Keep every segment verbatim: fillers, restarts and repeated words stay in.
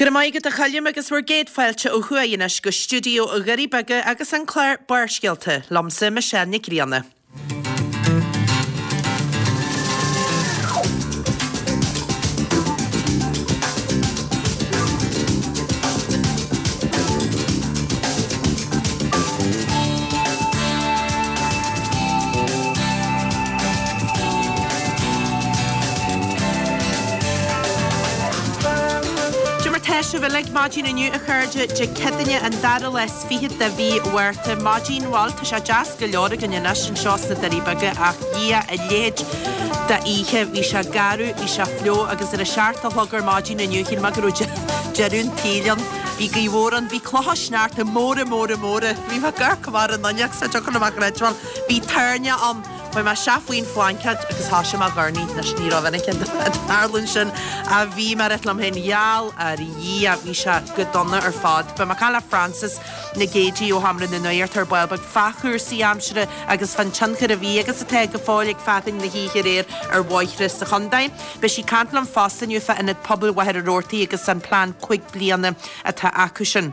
Go raibh maith agat a Choilm agus bhur gcéad fáilte ó thuaidh anois go stiúideo Dhoirí Beaga agus an clár Barrscéalta, liomsa Michelle Nic Grianna. Cad é mar tá sibh uilig maidin inniu a chairde, Dé Céadaoine an dara lá is fiche de mhí Mhárta. Maidin bhuel tá sé deas go leor againn anois anseo sna Doirí Beaga ach Dhia a leithéid d'oíche. Bhí sé garbh, bhí sé fliuch agus ar a seacht a chlog ar maidin inniu shíl mé go raibh deireadh an tsaoil ann. Bhí gaoth mhór ann, bhí clocha sneachta móra móra móra. Bhí mé ag amharc amach ar an fhuinneog sa dtiocfadh liom a chreidbheáil. Bhí toirne ann. Chuaigh mé isteach faoin bhlaincéad agus thoisigh mé ag urnaí. Anois ní raibh minic ag tarlú sin ach bhí mé ag rá liom féin gheall ar Dhia bhí sé go dona ar fad. Beidh mé ag caint le Frances Nic Géadaigh ó Sheomra na Nuachta ar ball beag fá chúrsaí aimsire agus fán tionchar a bhí agus atá go fóill ag fearthainn na hoíche aréir ar bhóithre sa chontae. Beidh sí ag caint liom fosta inniu fá Ionad Pobail Mhachaire Rabhartaigh agus an plean cúig bliana atá acu sin.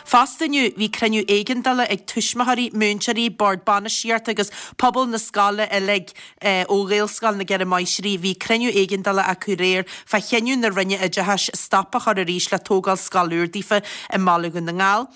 Fosta inniu, bhí cruinniú éigeandála ag tuismitheoirí, múinteoirí, bord bainistíochta agus pobal na scoile uilig ó Ghaelscoil na gCeithre Máistrí. Bhí cruinniú éigeandála acu aréir fá chinneadh na Roinne Oideachais stop a chur arís le tógáil scoil úr daofa i mBaile Dhún na nGall.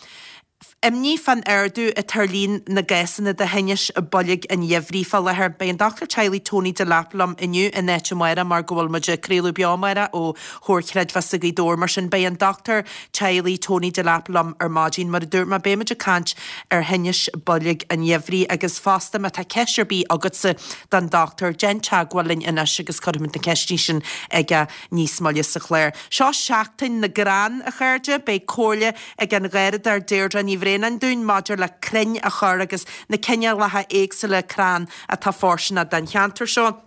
Imní fán ardú atá ar líon na gcásanna de thinnis boilg an gheimhridh fá láthair. Beidh an dochtúir teaghlaigh Tony Delap liom inniu in áit Mháire mar go bhfuil muid ag craoladh beo amárach ó Chomhar Creidmheasa Ghaoth Dobhair. Mar sin beidh an dochtúir teaghlaigh Tony Delap liom ar maidin. Mar a dúirt mé beidh muid ag caint ar thinnis boilg an gheimhridh agus fosta má tá ceist ar bith agatsa don dochtúir déan teagmháil linn anois agus cuirfimid na ceisteanna sin aige níos moille sa chlár. Seo Seachtain na gCrann, a chairde. Beidh comhairle ag an gharradóir Deirdre Ní Bhraonáin dúinn maidir le crainn a chur agus na cineálacha éagsúla crann atá fóirsteanach don cheantar seo.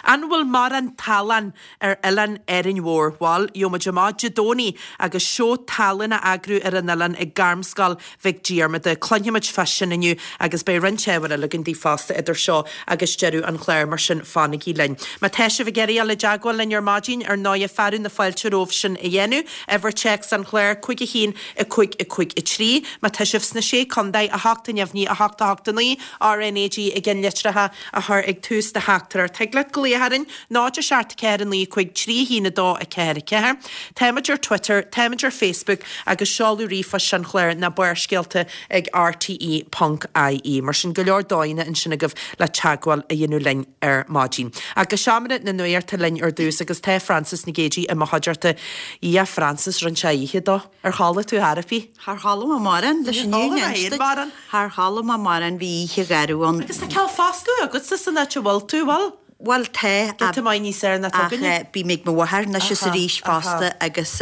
An bhfuil mórán tallann ar oileán Árainn Mhór? Bhuel, gheobhaidh muid amach Dé Domhnaigh agus seó talún á eagrú ar an oileán ag Gairmscoil Mhic Diarmada. Cluinfimid fá sin inniu agus beidh roinnt ábhair eile againn daoibh fosta idir seo agus deireadh an chláir, mar sin fanaigí linn. Má tá sibh ag iarraidh dul i dteagmháil linn ar maidin, ar ndóighe, fearadh na fáilte romhaibh sin a dhéanamh. Uimhir téacs an chláir, cúig a haon, a cúig, a cúig, a trí. Má tá sibh sna Sé Contae, a hocht a neamhní, a hocht, a hocht a naoi, RnaG i gceannlitreacha a chur ag tús do theachtaireacht. Thig leat glaoch orainn, náid a seacht ceathair a naoi cúig trí a haon a dó a ceathair a ceathair. Táimid ar Twitter, táimid ar Facebook agus seoladh ríomhphoist an chláir ná Barrscéalta ag rte ponc ie. Mar sin go leor dóigheanna ansin agaibh le teagmháil a dhéanamh linn ar maidin. Ach go seomra na nuachta linn ar dtús agus tá Frances Nic Géadaigh i mo chuideachta. A Frances, rinne sé oíche dó. Ar chodlaigh tú ar bith? Char chodlaigh mé mórán leis an Níor chodlaigh mé féin mórán. Char chodlaigh mé mórán, bhí oíche gharbh ann. Agus tá cineál foscadh agatsa san áit a bhfuil tú, bhfuil? Bhuel tá, Giota maith níos fearr ná ach againne. bím ag mo mháthair anois is arís fosta agus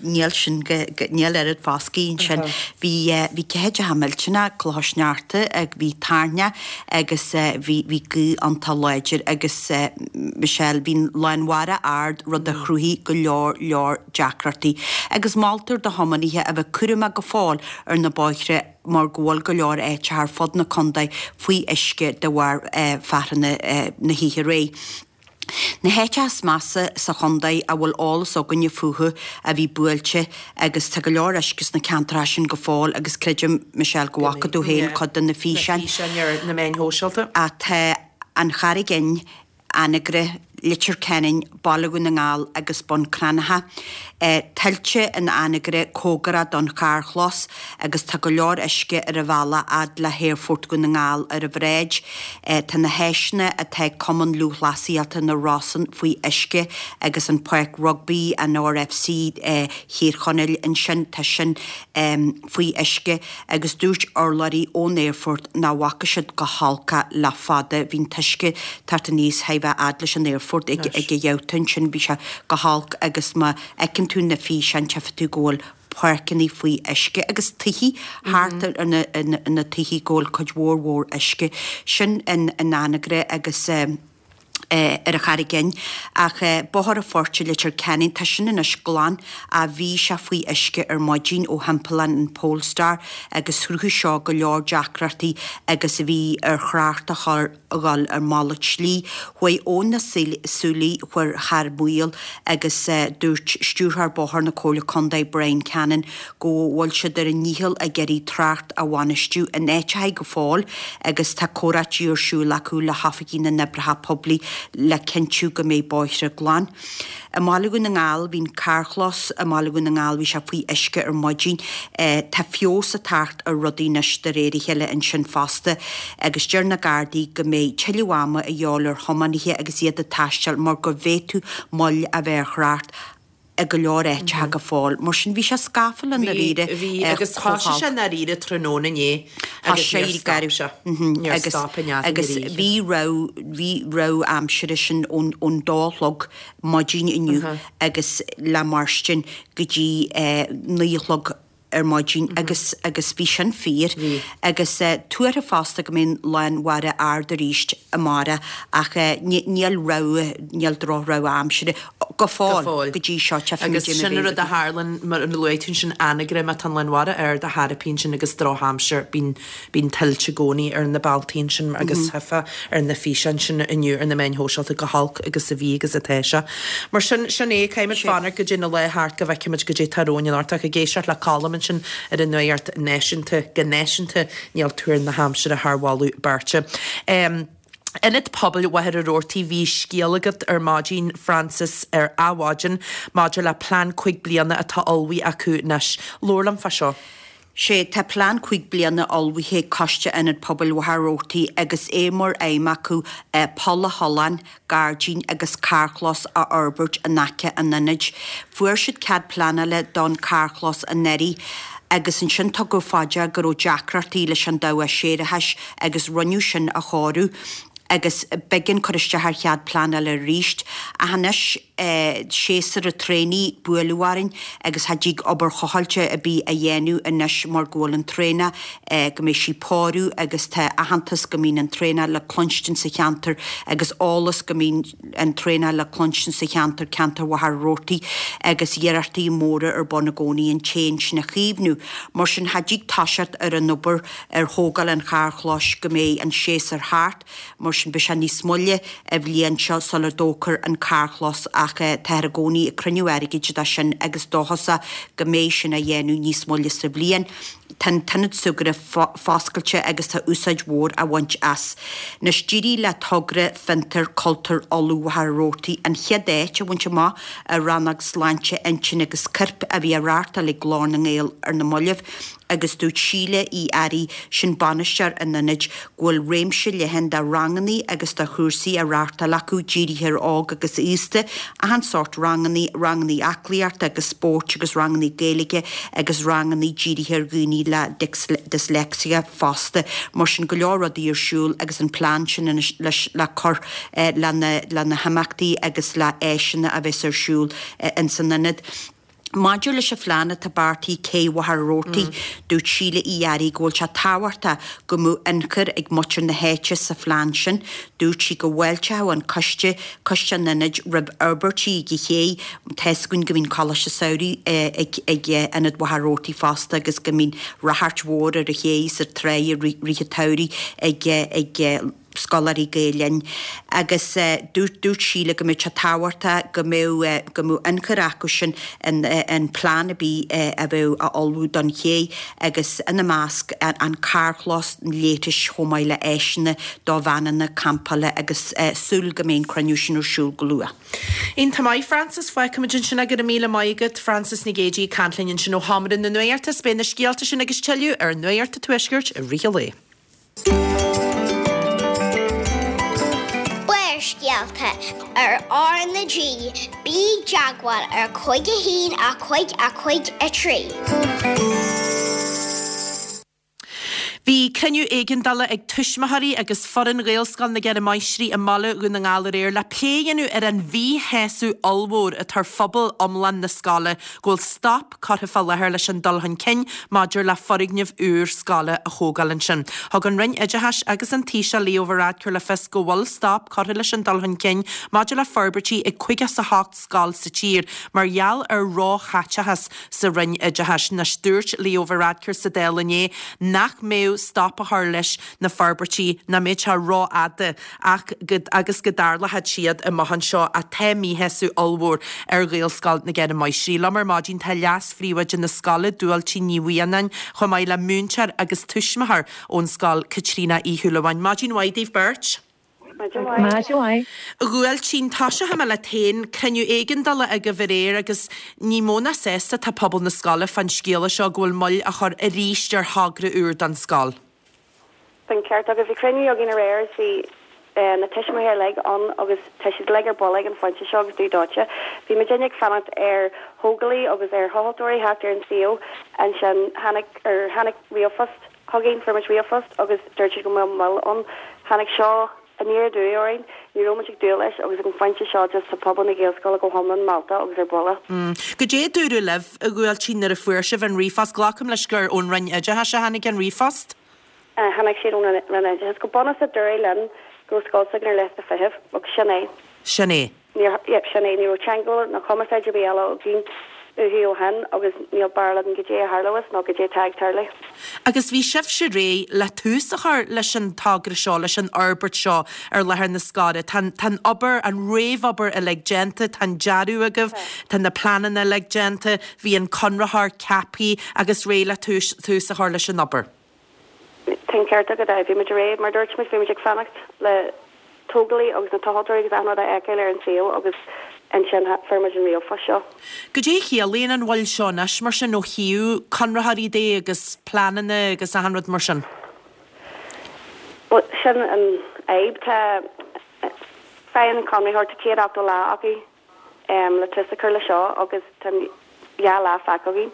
níl sin go, níl oiread foscaidh ansin. Bhí, bhí ceathaideacha millteanach, clocha sneachta, bhí toirneach agus bhí, bhí gaoth iontach láidir agus Michelle, bhí lán mhara ard, rud a chruthaigh go leor, leor deacrachtaí. Agus moltar do thiománaithe a bheith cúramach go fóill ar na bóithre mar go bhfuil go leor áiteacha ar fud na contae faoi uisce de bharr fearthainne na hoíche aréir. Na háiteacha is measa sa chontae a bhfuil eolas againne fúthu a bhí buailte agus tá go leor uisce sna ceantracha sin go fóill agus creidim, Michelle, go bhfaca tú féin cuid de na físeáin. Na físeáin ar na meáin shóisialta. Tá an Charraig Fhinn, Anagaire, Leitir Ceanainn, Baile Dhún na nGall agus Bun Cranncha. Tuilte in Anagaire cóngarach don charrchlós agus tá go leor uisce ar an bhealach fhad le hAerfort Dhún na nGall ar an bhráid. Tá na háiseanna atá ag Cumann Lúthchleasaíochta na Rosann faoi uisce agus an Páirc Rugbaí, an RFC Thír Chonaill ansin, tá sin faoi uisce. Agus dúirt urlabhraí ón aerfort nach bhfaca siad chomh holc é le fada. Bhí an t-uisce ag teacht aníos chóir a bheith fhad leis an aerfort ag ag a ghabhta ansin. Bhí sé go holc agus má fheiceann tú na físeáin tchífidh tú go bhfuil páirceanna faoi uisce agus tithe thart ar na na tithe go bhfuil cuid mhór mhór uisce. Sin in in Anagaire agus. Ar an Charraig Fhinn, ach Bóthar an Phoirt i Leitir Ceanainn, tá sin anois glan ach bhí sé faoi uisce ar maidin ó thimpeallán an Polestar agus chruthaigh seo go leor deacrachtaí agus a bhí ar thrácht a chur a dhul ar malairt slí. Chuaigh Abhainn na Súilí chuir thar maoil agus dúirt Stiúrthóir Bóthair na Comhairle Contae Brian Cannon go bhfuil siad ar a ndícheall ag iarraidh trácht a bhainistiú in áiteacha go fóill agus tá comhráití ar siúl acu le hoifigigh na n-oibreacha poiblí le cinntiú go mbeidh bóithre glan. I mBaile Dhún na nGall, bhí an carrchlós i mBaile Dhún na nGall, bhí sé faoi uisce ar maidin. Tá feabhas ag teacht ar rudaí anois de réir a chéile ansin fosta agus deir na Gardaí go mbeidh tuilleadh ama a dhíobháil ar thiománaithe agus iad ag taisteal mar go bhféadfadh moill a bheith ar thrácht i go leor áiteacha go fóill. Mar sin bhí sé scafall i ndáiríre. Bhí, bhí, agus thosaigh sé i ndáiríre tráthnóna inné agus níor stop sé. Níor stop in eadan Agus bhí rabhadh, bhí rabhadh aimsire sin ón, ón dó a chlog maidin inniu agus le mairstin go dtí naoi a chlog ar maidin agus agus bhí sin fíor. Bhí. Agus tuartha fosta go mbeidh an lán mhara ard arís amárach ach níl rabhadh, níl droch-rabhadh aimsire go fóill, Go fóill. go dtí seo, tchífimid Agus é má sin an bheidh rud a tharlann, mar a luaigh tú ansin, Anagaire, má tá an lán mhara ard a tharraingíonn sin agus drochaimsir, bíonn, bíonn tuilte i gcónaí ar na bealtaí ansin agus tchífeá ar na físeáin sin inniu ar na meáin shóisialta chomh holc agus a bhí agus atá sé. Mar sin, sin é, caithfimid fanacht go dtí na laethe thart go bhfeicfimid goidé atá romhainn anocht ach ag éisteacht le Colm ansin ar an nuacht náisiúnta, go náisiúnta, níl tuar na haimsire thar mholadh beirte. Ionad Pobail Mhachaire Rabhartaigh Bhí scéal agat ar maidin, Frances, ar Adhmhaidin maidir le plean cúig bliana atá ullmhaithe acu anois. Labhair liom fá seo. Sé, tá plean cúig bliana ullmhaithe ag Coiste Ionad Pobail Mhachaire Rabhartaigh agus é mar aidhm acu poll a thollán, gairdín agus carrchlós a fhorbairt in aice an ionaid. Fuair siad cead pleanála don carrchlós anuraidh agus ansin tugadh fá dear go raibh deacrachtaí leis an dabhach séarachais agus rinneadh sin a chóiriú agus b'éigean cur isteach ar chead pleanála arís. Ach anois séasúr an traonaigh ag bualadh orainn agus cha dtig obair chothailte ar bith a dhéanamh anois mar go bhfuil an traonach, go mbeidh sí ag pórú agus tá aitheantas go mbíonn an traonach le cluinstin sa cheantar agus eolas go mbíonn an traonach le cluinstin sa cheantar, ceantar Mhachaire Rabhartaigh agus iarrachtaí móra ar bun i gcónaí an t-éan sin a chaomhnú. Mar sin cha dtig toiseacht ar an obair ar thógáil an charrchlóis go mbeidh an séasúr thart. Mar sin beidh sé níos moille an bhliain seo sula dtógfar an carrchlós ach táthar i gcónaí ag cruinniú airgid dó sin agus dóchasach go mbeidh sin á dhéanamh níos moille sa bhliain. Tá an t-ionad súgartha foscailte agus tá úsáid mhór á bhaint as. Anois d'éirigh le togra Fiontar Cultúir Uladh Mhachaire Rabhartaigh an chéad áit a bhaint amach i rannóg Sláinte Intinne agus Coirp a bhí á reáchtáil ag Glór na nGael ar na mallaibh. agus dúirt Síle Uí Fhearraigh, sin bainisteoir an ionaid, go bhfuil réimse leathan de rangannaí agus de chúrsaí á reáchtáil acu dírithe ar óg agus aosta, achan sórt rangannaí, rangannaí aclaíochta agus spóirt agus rangannaí Gaeilge agus rangannaí dírithe ar dhaoine le dyslexia fosta. Mar sin go leor rudaí ar siúl agus an plean sin anois leis le cur le na himeachtaí agus le áiseanna a bheas ar siúl ins an ionad. Maidir leis an phlean atá beartaithe Cé Mhachaire Rabhartaigh, dúirt Síle Uí Fhearraigh go bhfuil sé tábhachtach go mbeadh ionchur ag muintir na háite sa phlean sin. Dúirt sí go bhfáilteodh an coiste, Coiste an Ionaid, roimh fhorbairtí ag an ché. Tá's againn go mbíonn Coláiste Samhraidh ag Ionad Mhachaire Rabhartaigh fosta agus go mbíonn ráchairt mhór ar an ché is ar trá i rith an tsamhraidh ag ag scoláirí Gael Linn agus dúirt dúirt Síle go mbeadh sé tábhachtach go mbeadh go mbeadh ionchur acu sin in in plean ar bith a bheadh á ullmhú don ché agus ina measc an carrchlós, na leithris chomh maith le áiseanna do veaineanna campála agus súil go mbeidh an cruinniú sin ar siúl go luath. Iontach maith, Frances. Fágfaimid ansin é. Go raibh míle maith agat, Frances Nic Géadaigh ag caint linn ansin ó Sheomra na Nuachta. Beidh na scéalta sin agus tuilleadh ar Nuacht an Tuaiscirt i rith an lae. Barrscéalta ar R na G, bí i dteagmháil ar cúig a haon a cúig a cúig a trí. Bhí cruinniú éigeandála ag tuismitheoirí agus foireann Ghaelscoil na gCeithre Máistrí i mBaile Dhún na nGall aréir le plé a dhéanamh ar an mhíshásamh ollmhór atá ar phobal iomlán na scoile go bhfuil stop curtha fá láthair leis an dul chun cinn maidir le foirgneamh úr scoile a thógáil ansin. Thug an Roinn Oideachais agus an Taoiseach Leo Varadkar le fios go bhfuil stop curtha leis an dul chun cinn maidir le forbairtí ag caoga is a hocht scoil sa tír mar gheall ar róchaiteachas sa Roinn Oideachais. Anois dúirt Leo Varadkar sa Dáil inné nach mbeadh stop a chur leis na forbairtí, nach mbeadh sé rófhada ach go agus go dtarlódh siad amach anseo ach tá míshásamh ollmhór ar Ghaelscoil na gCeithre Máistrí. Liom ar maidin tá leas-phríomhoide na scoile, Dúailtín Ní Mhianáin, chomh maith le múinteoir agus tuismitheoir ón scoil, Caitríona Uí Shúilleabháin. Maidin mhaith daoibh beirt. Maidin mhaith. A Dhúailtín, tosóidh mé leat féin. Cruinniú éigeandála agaibh aréir agus ní mó ná sásta atá pobal na scoile fán scéala seo go bhfuil moill á chur arís ar thogra úr don scoil. Tá an ceart agat. Bhí cruinniú againn aréir agus bhí na tuismitheoirí uilig ann agus tá siad uilig ar buile ag an phointe seo agus dubh dóite. Bhí muidinne ag fanacht ar thógálaí agus ar thochaltóirí theacht ar an suíomh. Ansin tháinig, ar tháinig ríomhphost chugainn, fuair muid ríomhphost agus dúirt siad go mbeadh moill ann. Tháinig seo aniar aduaidh orainn. Ní raibh muid ag dúil leis agus ag an phointe seo just tá pobal na Gaelscoile go hiomlán meallta agus ar buile. Goidé a dúradh libh, a Dhúailtín, nuair a fuair sibh an ríomhphost? Glacaim leis gur ón Roinn Oideachais a tháinig an ríomhphost? Tháinig siad ón Roinn Oideachais. Go bunúsach dúradh linn go raibh scoil s'againn ar liosta feithimh agus sin é. Sin é. Níor, yep, sin é. Ní raibh teagmháil ná cumarsáid ar bith eile againn uathu ó shin agus níl barúil againn goidé a tharlós nó goidé atá ag tarlú. Agus bhí sibhse réidh le tús a chur leis an togra seo, leis an fhorbairt seo ar láthair na scoile. Tá an, tá an obair, an réamhobair uilig déanta, tá an dearadh agaibh, tá na pleananna uilig déanta, bhí an conraitheoir ceaptha agus réidh le tús, tús a chur leis an obair. Tá an ceart agat, aye. Bhí muid réidh, mar dúirt muid, bhí muid ag fanacht le tógálaí agus na tochaltóirí agus achan rud a fheiceáil ar an suíomh agus ansin fuair muid an ríomhphost seo. Goidé a chiallaíonn an mhoill seo anois mar sin ó thaobh conraitheoirí de agus pleananna agus achan rud mar sin? Bhuel, sin an fhadhb. Tá, faigheann an conraitheoir, tá céad ochtó lá acu le tús a chur le seo agus tá dhá lá fágtha againn.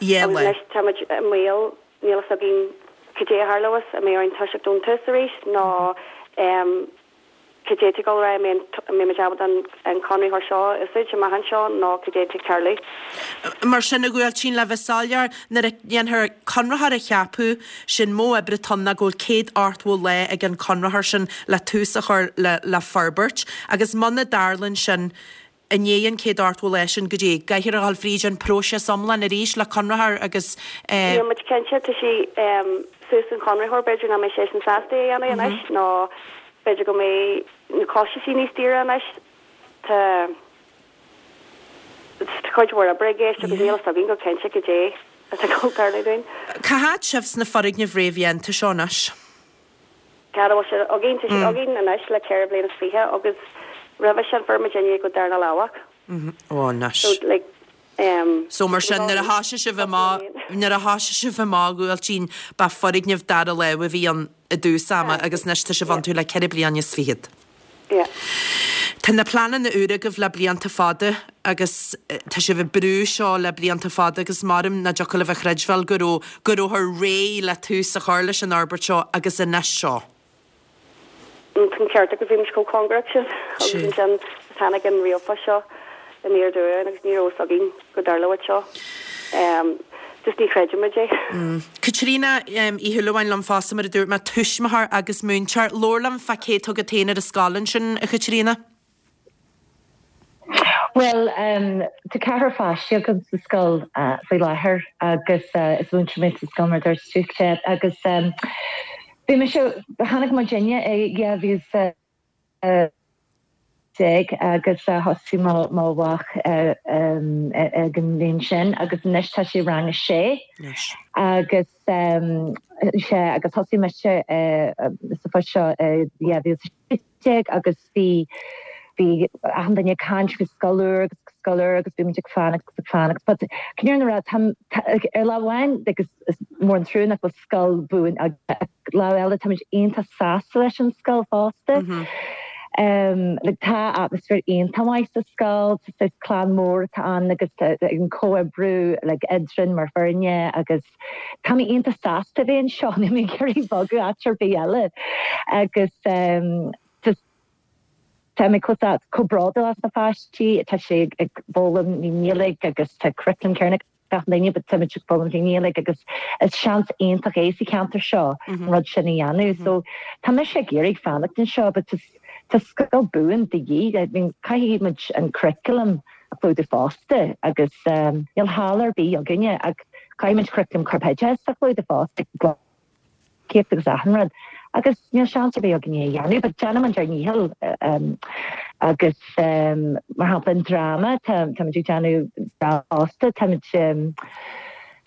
Dhá Agus lá. anois tá muid i mbaol, níl fhios againn cad é a tharlós, an mbeidh orainn toiseacht ón tús arís nó cad é atá ag dul ar aghaidh, an mbeidh muid ábalta an conraitheoir seo a úsáid amach anseo nó cad é atá ag tarlú. Mar sin, a Dhúailtín, le bheith soiléir, nuair a dhéanfar conraitheoir a cheapadh, sé'n modh oibre atá ann ná go bhfuil céad ochtó lá ag an conraitheoir sin le tús a chur le le forbairt agus muna dtarlaíonn sin, i ndiaidh an céad ochtó lá sin goidé, caithfear a dhul fríd an próiseas iomlán arís le conraitheoir agus eh. Níl muid cinnte, tá sé suas don chonraitheoir, b'fhéidir nach mbeidh seisean sásta é a dhéanamh anois nó b'fhéidir go mbeidh na costaisí níos daoire anois. Tá tá cuid mhór oibre i gceist agus níl a fhios againn go cinnte cad é atá ag dul tarlú dúinn. Cá háit sibh sna foirgnimh réamhdhéanta seo anois? Cá bhfuil siad againn? Tá siad againn anois le ceithre bliana is fiche agus roimhe sin fuair muidinne go Darna Lámhach. Ó anois. So like um. So mar sin nuair a thoisigh sibh amach, nuair a thoisigh sibh amach a Dhúailtín, ba foirgneamh dara láimhe a bhí ann i dtús ama agus anois tá sibh iontu le ceithre bliana is fichead. Yeah. Tá na pleananna úra agaibh le blianta fada agus tá sibh ag brú seo le blianta fada agus maram nach dtiocfadh libh a chreidbheáil go raibh, go rabhthar réidh le tús a chur leis an fhorbairt seo agus anois seo. Tá an ceart agat, bhí muid chomh cóngarach sin agus ansin tháinig an ríomhphost seo aniar aduaidh orainn agus ní raibh fhios againn go dtarlódh seo. Just ní chreideann muid é. Caitríona Uí Shúilleabháin liom fosta, mar a dúirt mé, tuismitheoir agus múinteoir. Labhair liom fá cé atá agat féin ar an scoil ansin, a Chaitríona. Bhuel, tá ceathrar pháistí agam sa scoil faoi láthair agus is múinteoir mé sa scoil mar a dúirt tú, agus bhí mise, tháinig muidinne i dhá mhíle is déag agus thosaigh mo mo mhac ag an mbliain sin agus anois tá sé i rang a sé agus sea agus thosaigh mise sa phost seo i dhá mhíle is a sé déag agus bhí bhí achan duine ag caint faoi scoil úr agus scoil úr agus bhí muid ag fanacht agus ag fanacht but chun an fhírinne a rá tá ar lámh amháin agus is mór an trua nach bhfuil scoil buan ach lámh eile táimid iontach sásta leis an scoil fosta. Um, like, tá atmaisféar iontach maith sa scoil, tá saghas clann mór atá ann agus an comhoibriú like, eadrainn mar fhoirne agus tá mé iontach sásta bheith anseo níl mé ag iarraidh bogadh áit ar bith eile agus um, just Tá mé chomh bródúil as na páistí, tá sé ag foghlaim i nGaeilge agus tá curriculum céanna gach duine but táimid ag foghlaim i nGaeilge agus is seans iontach é sa cheantar seo an rud sin a dhéanamh. So tá mise ag iarraidh fanacht anseo, but tá scoil buan de dhíth. I mean, caithfidh muid an curriculum a chlúdú fosta agus um, níl halla ar bith againne ach caithfidh muid curriculum corpoideachais a chlúdú fosta céacht agus achan rud. Agus níl seans ar bith againne a dhéanamh, but déanaimid ár ndícheall um, agus um, mar shampla an dráma tá táimid ag déanamh fosta táimid um,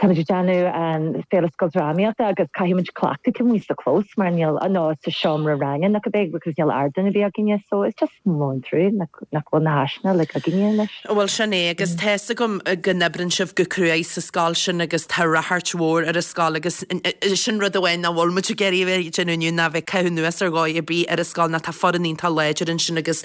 Táimid ag déanamh an féile scoildrámaíochta agus caithfimid cleachtadh amuigh sa chlós mar níl nó sa seomra ranga nach beag because níl ardán ar bith againne so it's just mór an trua nach nach bhfuil na háiseanna like againne anois. Bhuel sin é agus tá fhios agam go n-oibríonn sibh go cruaidh sa scoil sin agus tá ráchairt mhór ar an scoil agus sin rud amháin nach bhfuil muid ag iarraidh a bheith ag déanamh inniu ná bheith ag caitheamh anuas ar dhóigh ar bith ar an scoil ná tá foireann iontach láidir ansin agus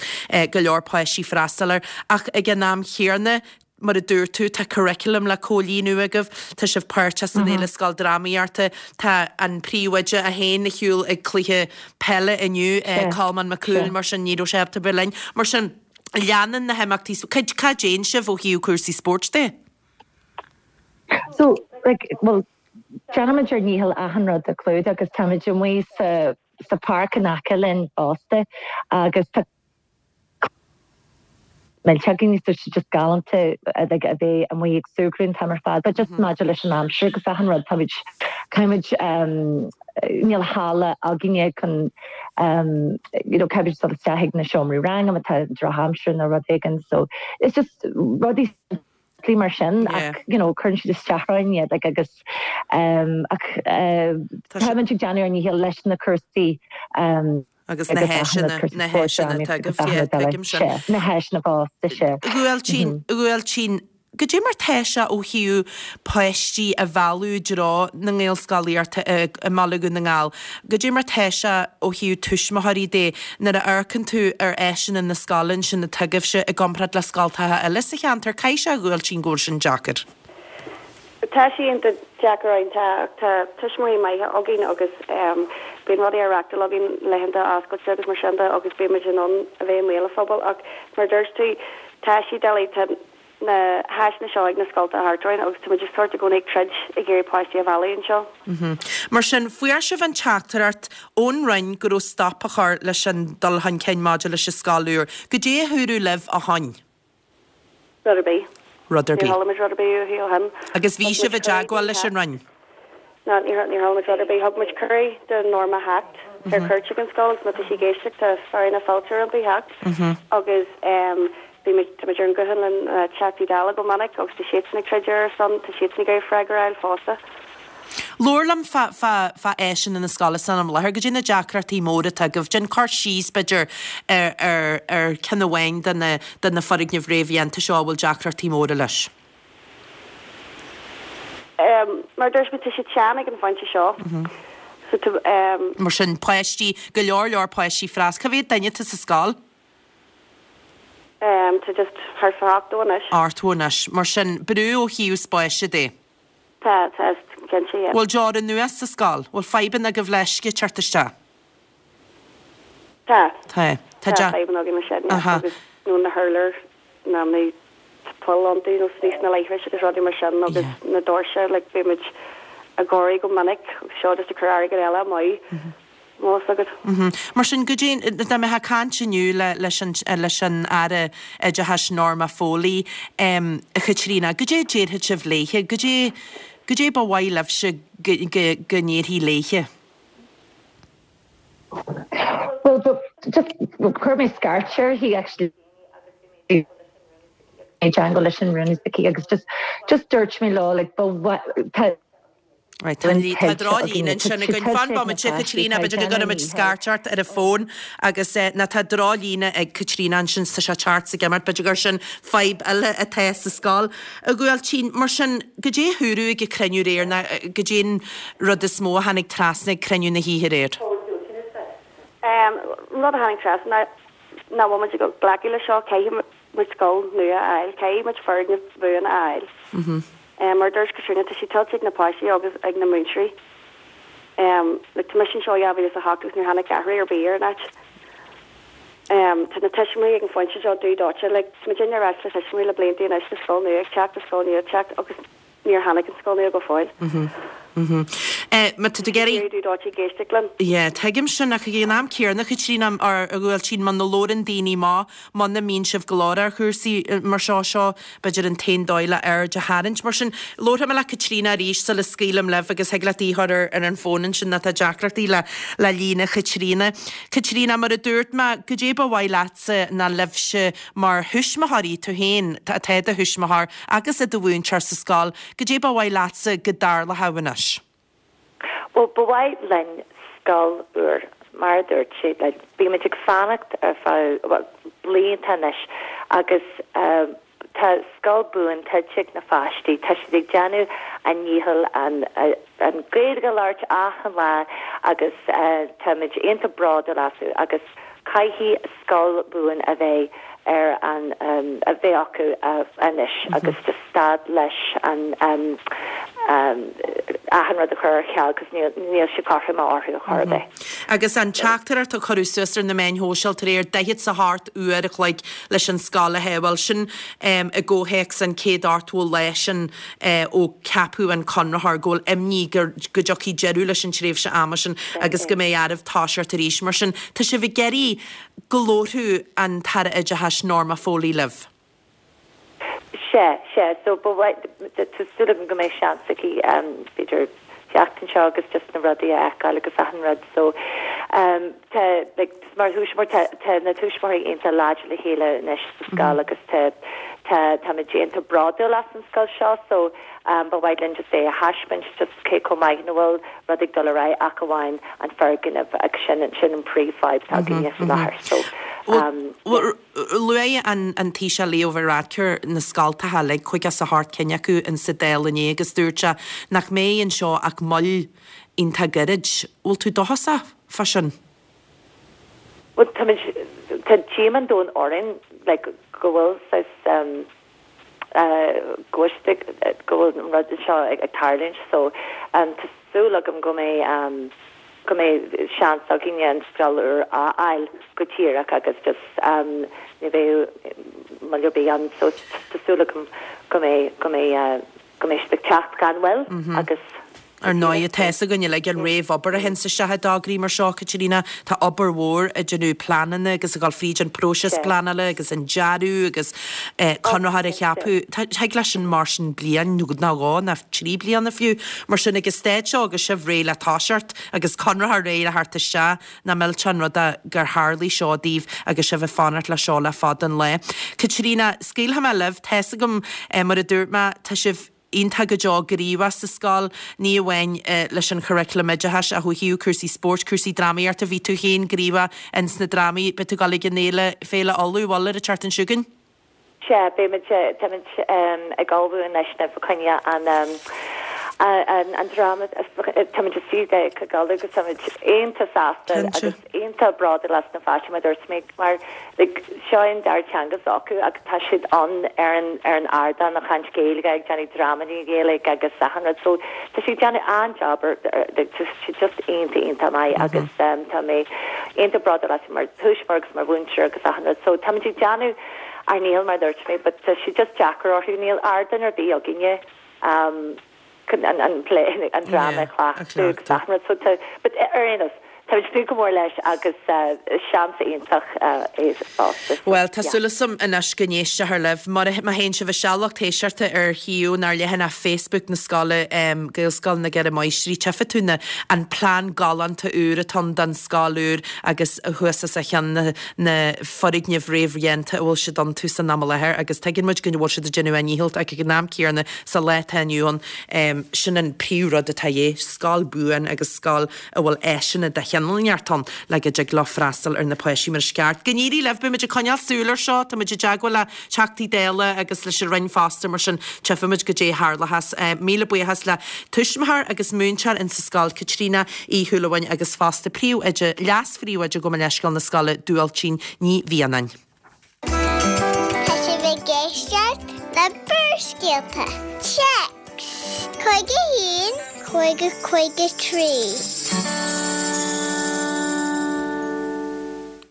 go leor páistí freastal air ach ag an am chéanna mar a dúirt tú, tá curriculum le comhlíonadh agaibh, tá sibh páirteach san Fhéile Scoildrámaíochta, tá an príomhoide é féin ar shiúl ag cluiche peile inniu, Colmán Mac Cumhaill, mar sin ní raibh sé ábalta bheith linn. Mar sin, leanann na himeachtaí, cad cad déanann sibh ó thaobh cúrsaí spóirt de? So, like, well, déanaimid ár ndícheall achan rud a chlúdach agus táimid amuigh sa sa pháirc in aice linn fosta agus tá millteach againn so just galánta like, a bheith amuigh ag súgradh an t-am ar fad, but just maidir leis an aimsir agus achan rud táimid caithfimid um, níl halla againne chun um, you know, caithfimid dul isteach ag na seomraí ranga má tá drochaimsir nó rud éigin so it's just rudaí simplí mar sin ach you know, cuireann siad isteach orainn iad like, agus um, ach uh, táimid ag déanamh ár ndícheall leis na cúrsaí um, agus na háiseanna na háiseanna tuigim sin. Na háiseanna fosta sé. Uailtín Uailtín, Goidé mar tá sé ó thaobh páistí a mhealladh i dtreo na nGaelscolaíochta i mBaile Dhún na nGall. Goidé mar tá sé ó thaobh tuismitheoirí de nuair a amharcann tú ar áiseanna na scoile ansin atá agaibhse i gcomparáid le scoltacha eile sa cheantar, caithfidh sé a Uailtín go bhfuil sin deacair. Tá sé iontach deacair ann tá tá tuismitheoirí maithe againn agus um, bíonn rudaí á reáchtáil againn laethanta oscailte agus mar sin de agus bímid in ann a bheith i mbéal an phobail ach mar dúirt tú tá sé doiligh tá na háiseanna seo ag na scolta thart orainn agus tá muid just sort i gcónaí ag troid ag iarraidh páistí a mhealladh anseo. Mar sin fuair sibh an teachtaireacht ón Roinn go raibh stop á chur leis an dul chun cinn maidir leis an scoil úr. Goidé a dúradh libh ó shin. Rud ar bith. Rud ar Níor bith. chuala muid rud ar bith uathu ó shin. Agus bhí Thug sibh muid i dteagmháil cuireadh leis an Roinn. No, níor níor chuala muid rud ar bith. Thug muid cuireadh do Norma theacht ar cuairt ag an scoil agus má tá sí ag éisteacht tá fearadh na fáilte roimpi theacht agus um, bhí muid tá muid ar an nguthán le na Teachtaí Dála go minic agus tá siadsan ag troid ar son tá siadsan ag iarraidh freagra a fháil fosta. Labhair liom fá fá fá áiseanna na scoile san am láthair, goidé na deacrachtaí móra atá agaibh, déan cur síos b'fhéidir ar ar ar ceann amháin de na de na foirgnimh réamhdhéanta seo a bhfuil deacrachtaí móra leis. Um, mar dúirt mé tá siad sean ag an phointe seo. So tá um, Mar sin páistí go leor leor páistí freas, Cá mhéad duine atá sa scoil? um, tá just thart fá ochtó anois. Ochtó anois, mar sin brú ó thaobh spáis de. Tá tá cinnte yeah. Bhfuil deora nua sa scoil, bhfuil fadhbanna agaibh le uisce teacht isteach. Tá Tá Tá Tá de fadhbanna againn leis sin yeah, Aha. agus nó na hurláir na na poill iontu nó sna na leithris agus rudaí mar sin agus Yeah. na doirse like bímid ag gáirí go minic agus seo just ag cur airgead eile amú. Más agat. Mhm. Mar sin goidé dá mbeifeá ag caint inniu le leis an leis an Aire Oideachais Norma Foley um, a Chaitríona, goidé a déarfadh sibh léithe, goidé goidé ba mhaith libhse go go go ndéarfaí léithe. Well, but just chuir mé scairt uirthi actually teagmháil leis an rúnaí agus just just dúirt mé leo like but what tá Right, tá tá droch-líne ansin againn fan bomaite Caitríona b'fhéidir go gcuirfimid scairt ort ar an bhfón agus eh, na tá drochlíne ag Caitríona ansin sa se teart sa gimart b'fhéidir gur sin fadhb eile atá sa scoil. A Uailtín mar sin goidé a dúradh ag cruinniú aréir ná goidé an rud is mó a tháinig trasna ag cruinniú na hoíche aréir. Um, rud a tháinig trasna nach bhfuil muid ag glacadh leis seo, caithfidh muid scoil nua a fháil, caithfidh muid foirgneamh buan a fháil. Mar a dúirt Caitríona, tá sé tuillte ag na páistí agus ag na múinteoirí. Like, tá mise anseo ó dhá mhíle is a hocht agus níor tháinig athrú ar bith ar an áit. Tá na tuismitheoirí ag an phointe seo dubh dóite, like, tá muidinne ag ráit le tuismitheoirí le blianta anois tá scoil nua ag teacht, tá scoil nua ag teacht agus níor tháinig an scoil nua go fóill. Má tá tú ag iarraidh. Dubh dóite ag éisteacht linn. Yeah, tuigim sin ach ag an am céanna, Caitríona, or a Bhuailtín, muna labhrann daoine amach, muna mbíonn sibh ag labhairt ar chúrsaí mar seo, seo b'fhéidir an t-aon dóigh le aird a tharraingt. Mar sin, labharfaidh mé le Caitríona arís sula scaoilim libh agus thig leat í a chur ar ar an bhfón ansin má tá deacrachtaí le le líne Chaitríona. Caitríona, mar a dúirt mé, goidé ba mhaith leatsa ná libhse mar thuismitheoirí, tú féin atá i do thuismitheoir agus i do mhúinteoir sa scoil, goidé ba mhaith leatsa go dtarlódh anois? Bhuel, ba mhaith linn scoil úr, mar a dúirt sé, like, bímid ag fanacht ar feadh, bhuel, blianta anois agus tá scoil buan tuillte ag na pháistí, tá siad ag déanamh a ndícheall an, an Gaeilge a labhairt achan lá agus táimid iontach bródúil astu agus caithfidh scoil buan a bheith ar an a bheith acu anois agus just stad leis an achan rud a chur ar ceal cos níl níl sé cothrom orthu ar chor ar bith. Agus an teachtaireacht a cuireadh suas ar na meáin shóisialta aréir, daichead 's a hocht uair a chloig leis an scoil a shábháil, sin i gcomhthéacs an céad ochtó lá sin ó ceapadh an conraitheoir, go bhfuil imní go dtiocfaidh deireadh leis an tréimhse ama sin agus go mbeidh oraibh toiseacht arís. Mar sin, tá sibh ag iarraidh go labharfadh an tAire Oideachais Norma Foley libh. Sea, sea. So ba mhaith, tá súil agam go mbeidh seans aici b'fhéidir teacht anseo agus just na rudaí a fheiceáil agus achan rud. So tá, like, mar thuismitheoir, tá, tá na tuismitheoirí iontach láidir le chéile anois sa scoil agus tá, tá, táimid iontach bródúil as an scoil seo so ba mhaith linn just é a thaispeáint just cé chomh maith ina bhfuil rud ag dul ar aghaidh ach amháin an foirgneamh agus sin sin an príomhfhadhb atá againne faoi láthair so yeah. Luaigh an an Taoiseach Leo Varadkar na scoltacha uilig, caoga is a hocht cinn acu in sa Dáil inné agus dúirt sé nach mbeidh anseo ach moill iontach gairid. Bhfuil tú dóchasach fá sin? Bhuel táimid tá díomá an domhain orainn like go bhfuil saghas go bhfuil go bhfuil an rud seo ag tarlúint so tá súil agam go mbeidh go mbeidh seans againne an scoil úr a fháil go díreach agus just ní bheidh moill ar bith ann so tá súil agam go mbeidh go mbeidh go mbeidh siad ag teacht gan mhoill agus Ar ndóigh, tá fhios againn uilig an réamhobair a théann isteach i dtograí mar seo, Caitríona. Tá obair mhór ag déanamh pleananna agus ag dul fríd an próiseas pleanála agus an dearadh agus conraitheoir a cheapadh. Thig leis sin mar sin bliain nó dhó nó trí bliana fiú. Mar sin ag an staid seo agus sibh réidh le toiseacht agus conraitheoir réidh le theacht isteach, nach millteach an rud é gur tharlaigh seo daoibh agus sibh ag fanacht le seo le fada an lá. Caitríona, scaoilfidh mé libh, tá fhios agam mar a dúirt mé, tá sibh iontach go deo gníomhach sa scoil, ní amháin leis an churaclam oideachais ach ó thaobh cúrsaí spóirt, cúrsaí drámaíochta, bhí tú féin gníomhach ins na drámaí, beidh tú ag dul ag an fhéile, Féile Uladh, bhfuil, ar an tseachtain seo chugainn? Sea, beimid, táimid ag ullmhú anois fá choinne an, an, an dráma, táimid istigh ag ullmhú agus táimid iontach sásta agus iontach bródúil as na páistí mar dúirt mé mar like seo an dara teanga s'acu agus tá siad ann ar an ar an ardán ag caint Gaeilge ag déanamh drámaí Gaeilge agus achan rud so tá siad ag déanamh an-job ar like tá siad just iontach iontach maith agus um, tá mé iontach bródúil astu mar thuismitheoir agus mar mhúinteoir agus achan rud so táimid ag déanamh ár ndícheall mar dúirt mé but tá sé just deacair orthu níl ardán ar bith againne um, chun an an plé an dráma a chleachtadh agus achan rud so tá but ar aon nós Táimid ag tnúth go mór leis agus seans iontach é fosta. Bhuel, tá súil agam anois go n-éistfear libh. Má théann sibh isteach lucht éisteachta ar shuíomh nó ar leathanach Facebook na scoile, Gaelscoil na gCeithre Máistrí, tchífidh tú na an plean galánta úr atá ann don scoil úr agus thuas os a chionn na na foirgnimh réamhdhéanta a bhfuil siad iontu san am i láthair agus tuigeann muid go bhfuil siad ag déanamh a ndícheall ach ag an am céanna sa lá atá inniu ann sin an príomhrud atá de dhíth, scoil buan agus scoil a bhfuil áiseanna de chineál cineál neart ann le go dtig leo freastal ar na páistí mar is ceart. Go n-éirí libh, beidh muid ag coinneáil súil ar seo, tá muid i dteagmháil le Teachtaí Dála agus leis an Roinn fosta mar sin tchífimid goidé a tharlóchas. Míle buíochas le tuismitheoir agus múinteoir insa scoil Caitríona Uí Shúilleabháin agus fosta príomhoide, leas-phríomhoide gabh mo leithscéal na scoile Dúailtín Ní Mhianáin. Tá sibh ag éisteacht le Barrscéalta. Téacs cúig a haon, cúig a cúig a trí.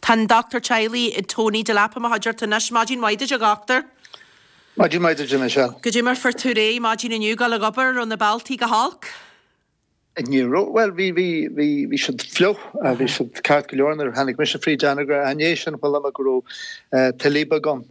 Tá an Dochtúir Teaghlaigh Tony Delap i mo chuideachta anois. Maidin mhaith duit a dhochtúir. Maidin mhaith duit a Michelle. Goidé mar fuair tú réidh maidin inniu dul ag obair, raibh na bealtaí go holc? Ní raibh, bhuel bhí, bhí, bhí, bhí siad fliuch, bhí siad ceart go leor nuair a tháinig mise fríd Anagaire. I ndiaidh sin chuala mé go raibh tuile beag ann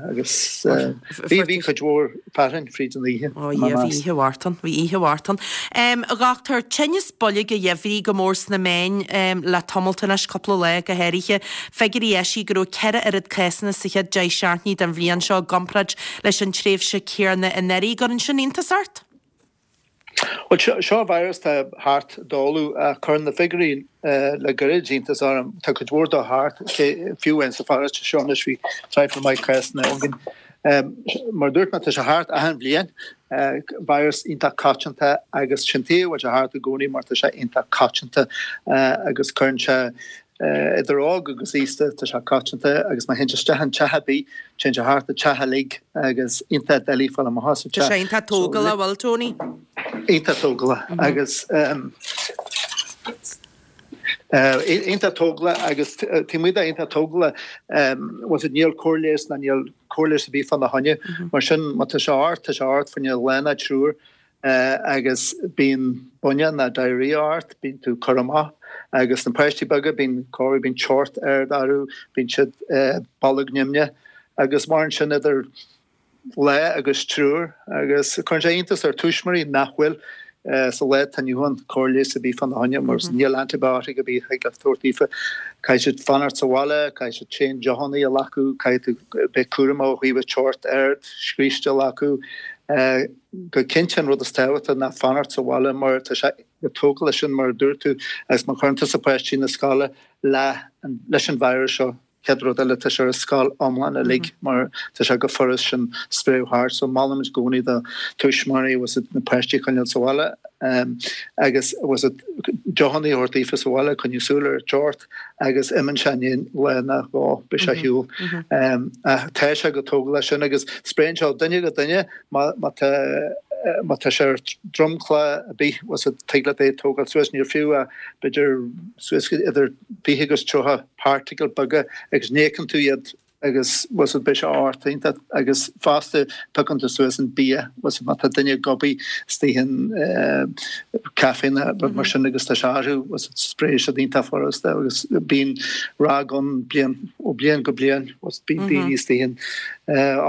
agus bhí, bhí cuid mhór fearthainn fríd an oíche. Ó yeah, bhí oíche mharbh ann, bhí oíche mharbh ann. A dhochtúir, tinneas boilg an gheimhridh go mór sna meáin le tamalt anois, cúpla lá go háirithe. Figiúirí eisithe go raibh ceithre oiread cásanna sa chéad deich seachtainí den bhliain seo i gcomparáid leis an tréimhse chéanna anuraidh. An gcuireann sin iontas ort? Bhuel, seo virus atá thart dáileadh ach cuireann na figiúirí le gairid iontas orm. Tá cuid mhór dó thart, fiú amháin sa pharóiste seo anois bhí traidhfil maith cásanna againn. Mar a dúirt mé, tá sé thart achan bhliain, virus iontach coitianta agus sin tuige a bhfuil sé thart i gcónaí mar tá sé iontach coitianta agus cuireann sé Idir óg agus aosta tá sé coitianta agus má théann sé isteach in teach ar bith, téann sé thart an teach uilig agus iontach doiligh fáil amach as an teach. Tá sé iontach tógálach, bhfuil, Tony? Iontach tógálach agus iontach tógálach agus taobh amuigh de iontach tógálach, bhfuil fhios níl cóir leighis ná níl cóir leighis ar bith fána choinne. Mar sin má tá sé ort, tá sé ort fá choinne lá ná triúr. Agus bíonn buinne ná diarrhea ort, bíonn tú curtha amach. Agus na páistí beaga, bíonn corradh, bíonn teocht ard orthu, bíonn siad bolg nimhneach. Agus maireann sin idir lá agus triúr. Agus cuireann sé iontas ar tuismitheoirí nach bhfuil sa lá atá inniu ann cóir leighis ar bith fána choinne mar níl antibiotic ar bith a thig leat a thabhairt daofa. Caithfidh siad fanacht sa bhaile, caithfidh siad tréan deochanna a ghlacadh, caithfidh tú bheith cúramach ó thaobh teocht ard, scríste a ghlacadh. Go cinnte an rud is tábhachtaí ná fanacht sa bhaile mar tá sé chomh tógálach sin mar a dúirt tú agus má chuireann tusa páistí na scoile le leis an virus seo chéad rud eile tá sé ar an scoil iomlán uilig mar tá sé chomh furast sin spréadh thart so molaimid i gcónaí do tuismitheoirí bhfuil fhios agat na páistí a choinneáil sa bhaile agus bhfuil fhios agat deochanna a thabhairt daofa sa bhaile coinneáil súil ar an teocht agus imíonn sé i ndiaidh lá nó dhó beidh sé ar shiúl. Ach tá sé chomh tógálach sin agus spréann sé ó duine go duine má má tá má tá sé ar dromchla ar bith bhfuil fhios agat tig leat é a tógáil suas níl fiú ach b'fhéidir suas idir fiche agus tríocha particle beaga agus ní fheiceann tú iad agus bhfuil fhios agat beidh sé ort iontach agus fosta piocann tú suas an bia bhfuil fhios agat má tá duine ag gobaí istigh in caife nó rud mar sin agus tá sé orthu bhfuil fhios agat spréann siad iontach furasta agus bíonn ráig ann bliain ó bliain go bliain bhfuil fhios agat bíonn daoine istigh in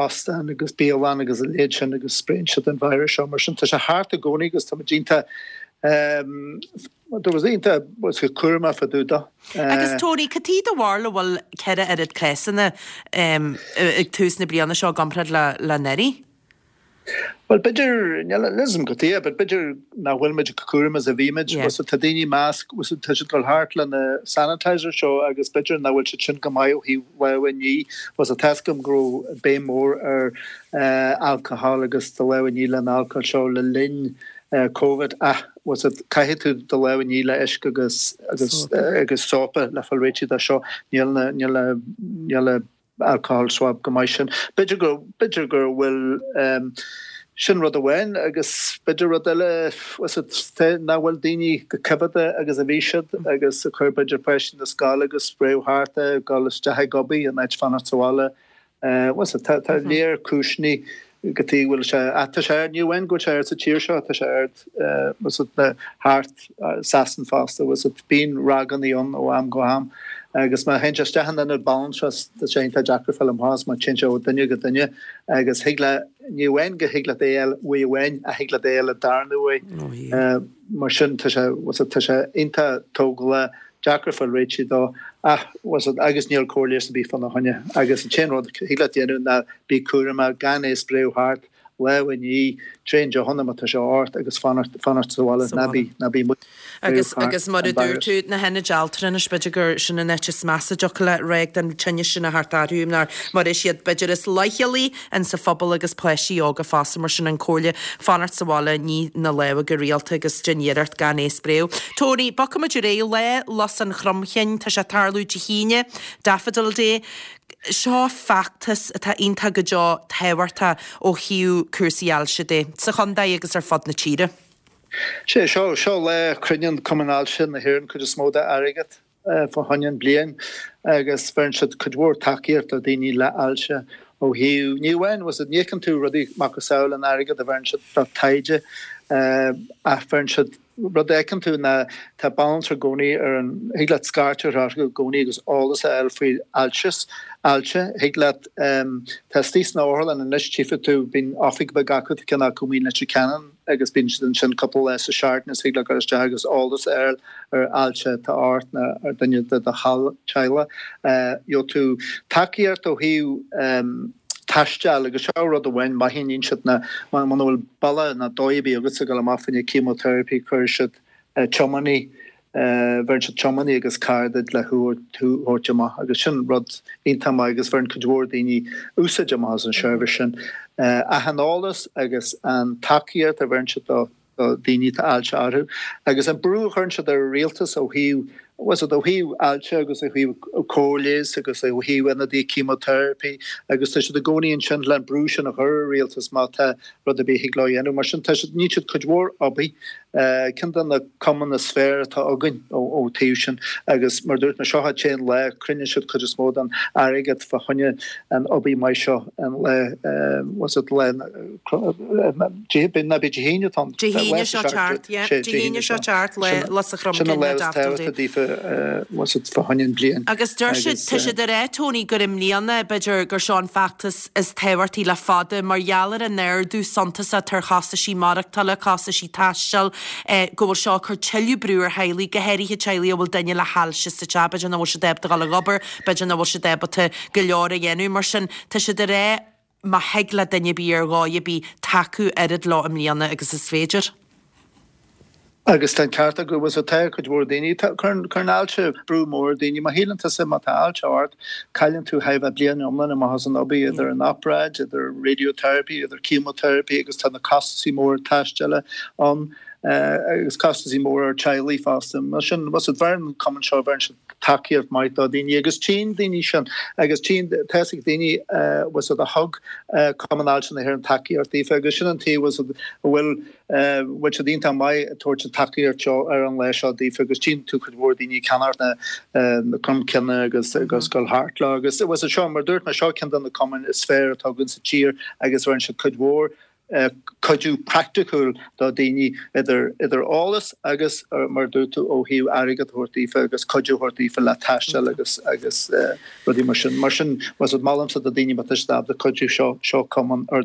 óstán agus bialann agus a leithéid sin agus spréann siad an virus seo mar sin tá sé thart i gcónaí agus tá muid iontach There was iontach cúramach fá dtaobh de. Agus Tony, cad é do bharúil a bhfuil ceithre oiread cásanna ag tús na bliana seo i gcomparáid le anuraidh? Bhuel, b'fhéidir, níl a fhios agam cad tuige, but b'fhéidir nach bhfuil muid chomh cúramach is a bhí muid. Yeah. Tá daoine masc, tá siad ag dul thart le na sanitizer seo agus b'fhéidir nach bhfuil siad sin go maith ó thaobh lámha a ní. Tá a fhios agam go raibh béim mór ar alcohol agus do lámha a ní le an alcohol seo le linn Covid ach bhfuil fhios agat caithfidh tú do lámha a ní le uisce agus agus agus sópa le fáil réitithe de seo. Níl na níl na níl na alcohol swab go maith sin. B'fhéidir go b'fhéidir go bhfuil sin rud amháin agus b'fhéidir rud eile bhfuil fhios agat nach bhfuil daoine chomh coimheadach agus a bhí siad agus a chuir b'fhéidir páistí na scoile agus spréadh thart é dul isteach ag obair in áit fanacht sa bhaile. Bhfuil fhios agat, tá léar cúiseanna cad tuige a bhfuil sé, ach tá sé ard, ní amháin go bhfuil sé ard sa tír seo, tá sé ard, bhfuil fhios agat, thart Sasain fosta, bhfuil fhios agat, bíonn ráigeanna ann ó am go ham agus má théann sé isteach in ionad balantras, tá sé iontach deacair fáil amach as má téann sé ó duine go duine agus thig le, ní amháin go thig leat é a fháil uaidh amháin ach thig leat é a fháil an darna uair. Mar sin tá sé, bhfuil fhios agat, tá sé iontach tógálach. deacair fáil réitithe dó ach bhfuil fhios agat agus níl cóir leighis ar bith fána choinne agus an t-aon rud a thig leat déanamh ná bí cúramach gan é a spréadh thart lámha a ní, tréan deochanna má tá sé ort agus fanacht fanacht sa bhaile, ná bí ná bí amuigh Agus agus mar a dúirt tú, na hionaid altranais, b'fhéidir gur sin an áit is measa a dtiocfadh le ráig den tinneas sin a theacht orthu, mar mar is iad b'fhéidir is leithchealaí in sa phobal agus páistí óga fosta, mar sin an comhairle fanacht sa bhaile, ní na lámha go rialta agus déan iarracht gan é a spréadh. Tony, bogfaimid ar aghaidh, Lá Lus an Chromchinn, tá sé ag tarlú Dé hAoine, Daffodil Day. Seo feachtas atá iontach go deo tábhachtach ó thaobh cúrsaí ailse de, sa chontae agus ar fud na tíre. Sé seo seo lá a chruinníonn Cumann Ailse na hÉireann cuid is mó dá airgead fá choinne an bliain agus bheireann siad cuid mhór tacaíocht do daoine le ailse ó thaobh ní amháin was it ní fheiceann tú rudaí macasamhail an airgead a bheireann siad do taighde ach bheireann siad Rud a fheiceann tú ná tá banaltra i gcónaí ar an, thig leat scairteadh orthu i gcónaí agus eolas a fháil faoi ailse, ailse. Thig leat, tá istigh sna otharlann anois, tchífidh tú, bíonn oifig bheag acu, tá ceann acu amuigh in Leitir Ceanainn agus bíonn siad ansin cúpla lá sa seachtain is thig leat dul isteach agus eolas a fháil ar ailse atá ort nó ar duine de do theaghlach. Gheobhaidh tú tacaíocht ó thaobh. taisteal agus seo rud amháin maith a dhéanann siad ná muna bhfuil bealach ná dóigh ar bith agatsa ag dul amach fá choinne chemotherapy cuireann siad tiománaí bheireann siad tiománaí agus carr duit le thú a thabhairt amach agus sin rud iontach maith agus bheireann cuid mhór daoine úsáid amach as an seirbhís sin. Ach an eolas agus an tacaíocht a bheireann siad do do dhaoine atá ailse orthu agus an brú a chuireann siad ar an rialtas ó thaobh was it ó thaobh ailse agus ó thaobh cóir leighis agus ó thaobh ionadaí chemotherapy agus tá siad i gcónaí ansin le an brú sin a chur ar an rialtas má tá rud ar bith a thig leo a dhéanamh. Mar sin tá siad níonn siad cuid mhór obair ceann de na cumainn is fearr atá againn ó taobh sin agus mar dúirt mé seo an t-aon lá cruinníonn siad cuid is mó den airgead fá choinne an obair maith seo an lá was it lá ná bí Dé hAoine atá ann. Dé hAoine seo teacht, yeah. Dé hAoine seo teacht le Lus an Chromchinn na Daffodil Day. Was it fá choinne an bliain. Agus deir siad, tá siad ag rá, Tony, gur i mbliana, b'fhéidir, gur seo an feachtas is tábhachtaí le fada mar gheall ar an ardú suntasach ar chostaisí maireachtála, costaisí taistil, go bhfuil seo ag cur tuilleadh brú ar theaghlaigh, go háirithe teaghlaigh a bhfuil duine le hailse sa teach, b'fhéidir nach bhfuil siad ábalta dul ag obair, b'fhéidir nach bhfuil siad ábalta go leor a dhéanamh. Mar sin, tá siad ag rá, má thig le duine ar bith ar dhóigh ar bith tacú oiread leo i mbliana agus is féidir. Agus tá an ceart acu, bhfuil tá cuid mhór daoine, cuireann cuireann ailse brú mór ar daoine. Má shíleann tusa má tá ailse ort, cailleann tú thar a bheith bliain iomlán amach as an obair, idir an obráid, idir radiotherapy, idir chemotherapy agus tá na costasaí móra taisteala ann agus costasaí móra ar teaghlaigh fosta. Mar sin, bhfuil bheireann an cumann seo, bheireann siad tacaíocht maith do daoine agus tchíonn daoine sin agus tchíonn, tá fhios ag daoine bhfuil a thug Cumann Ailse na hÉireann tacaíocht daofa agus sin an taobh bhfuil a bhfuil bhfuil siad iontach maith ag tabhairt an tacaíocht seo ar an lá seo daofa agus tchíonn tú cuid mhór daoine ag ceannacht na na cromchinne agus agus dul thart leo agus bhfuil seo mar dúirt mé seo ceann de na cumainn is fearr atá againn sa tír agus bheireann siad cuid mhór cuidiú praiticiúil do dhaoine idir idir eolas agus mar a dúirt tú ó thaobh airgead a thabhairt daofa agus cuidiú a thabhairt daofa le taisteal agus agus rudaí mar sin. Mar sin molaimse do daoine má tá siad ábalta cuidiú seo seo cumann ar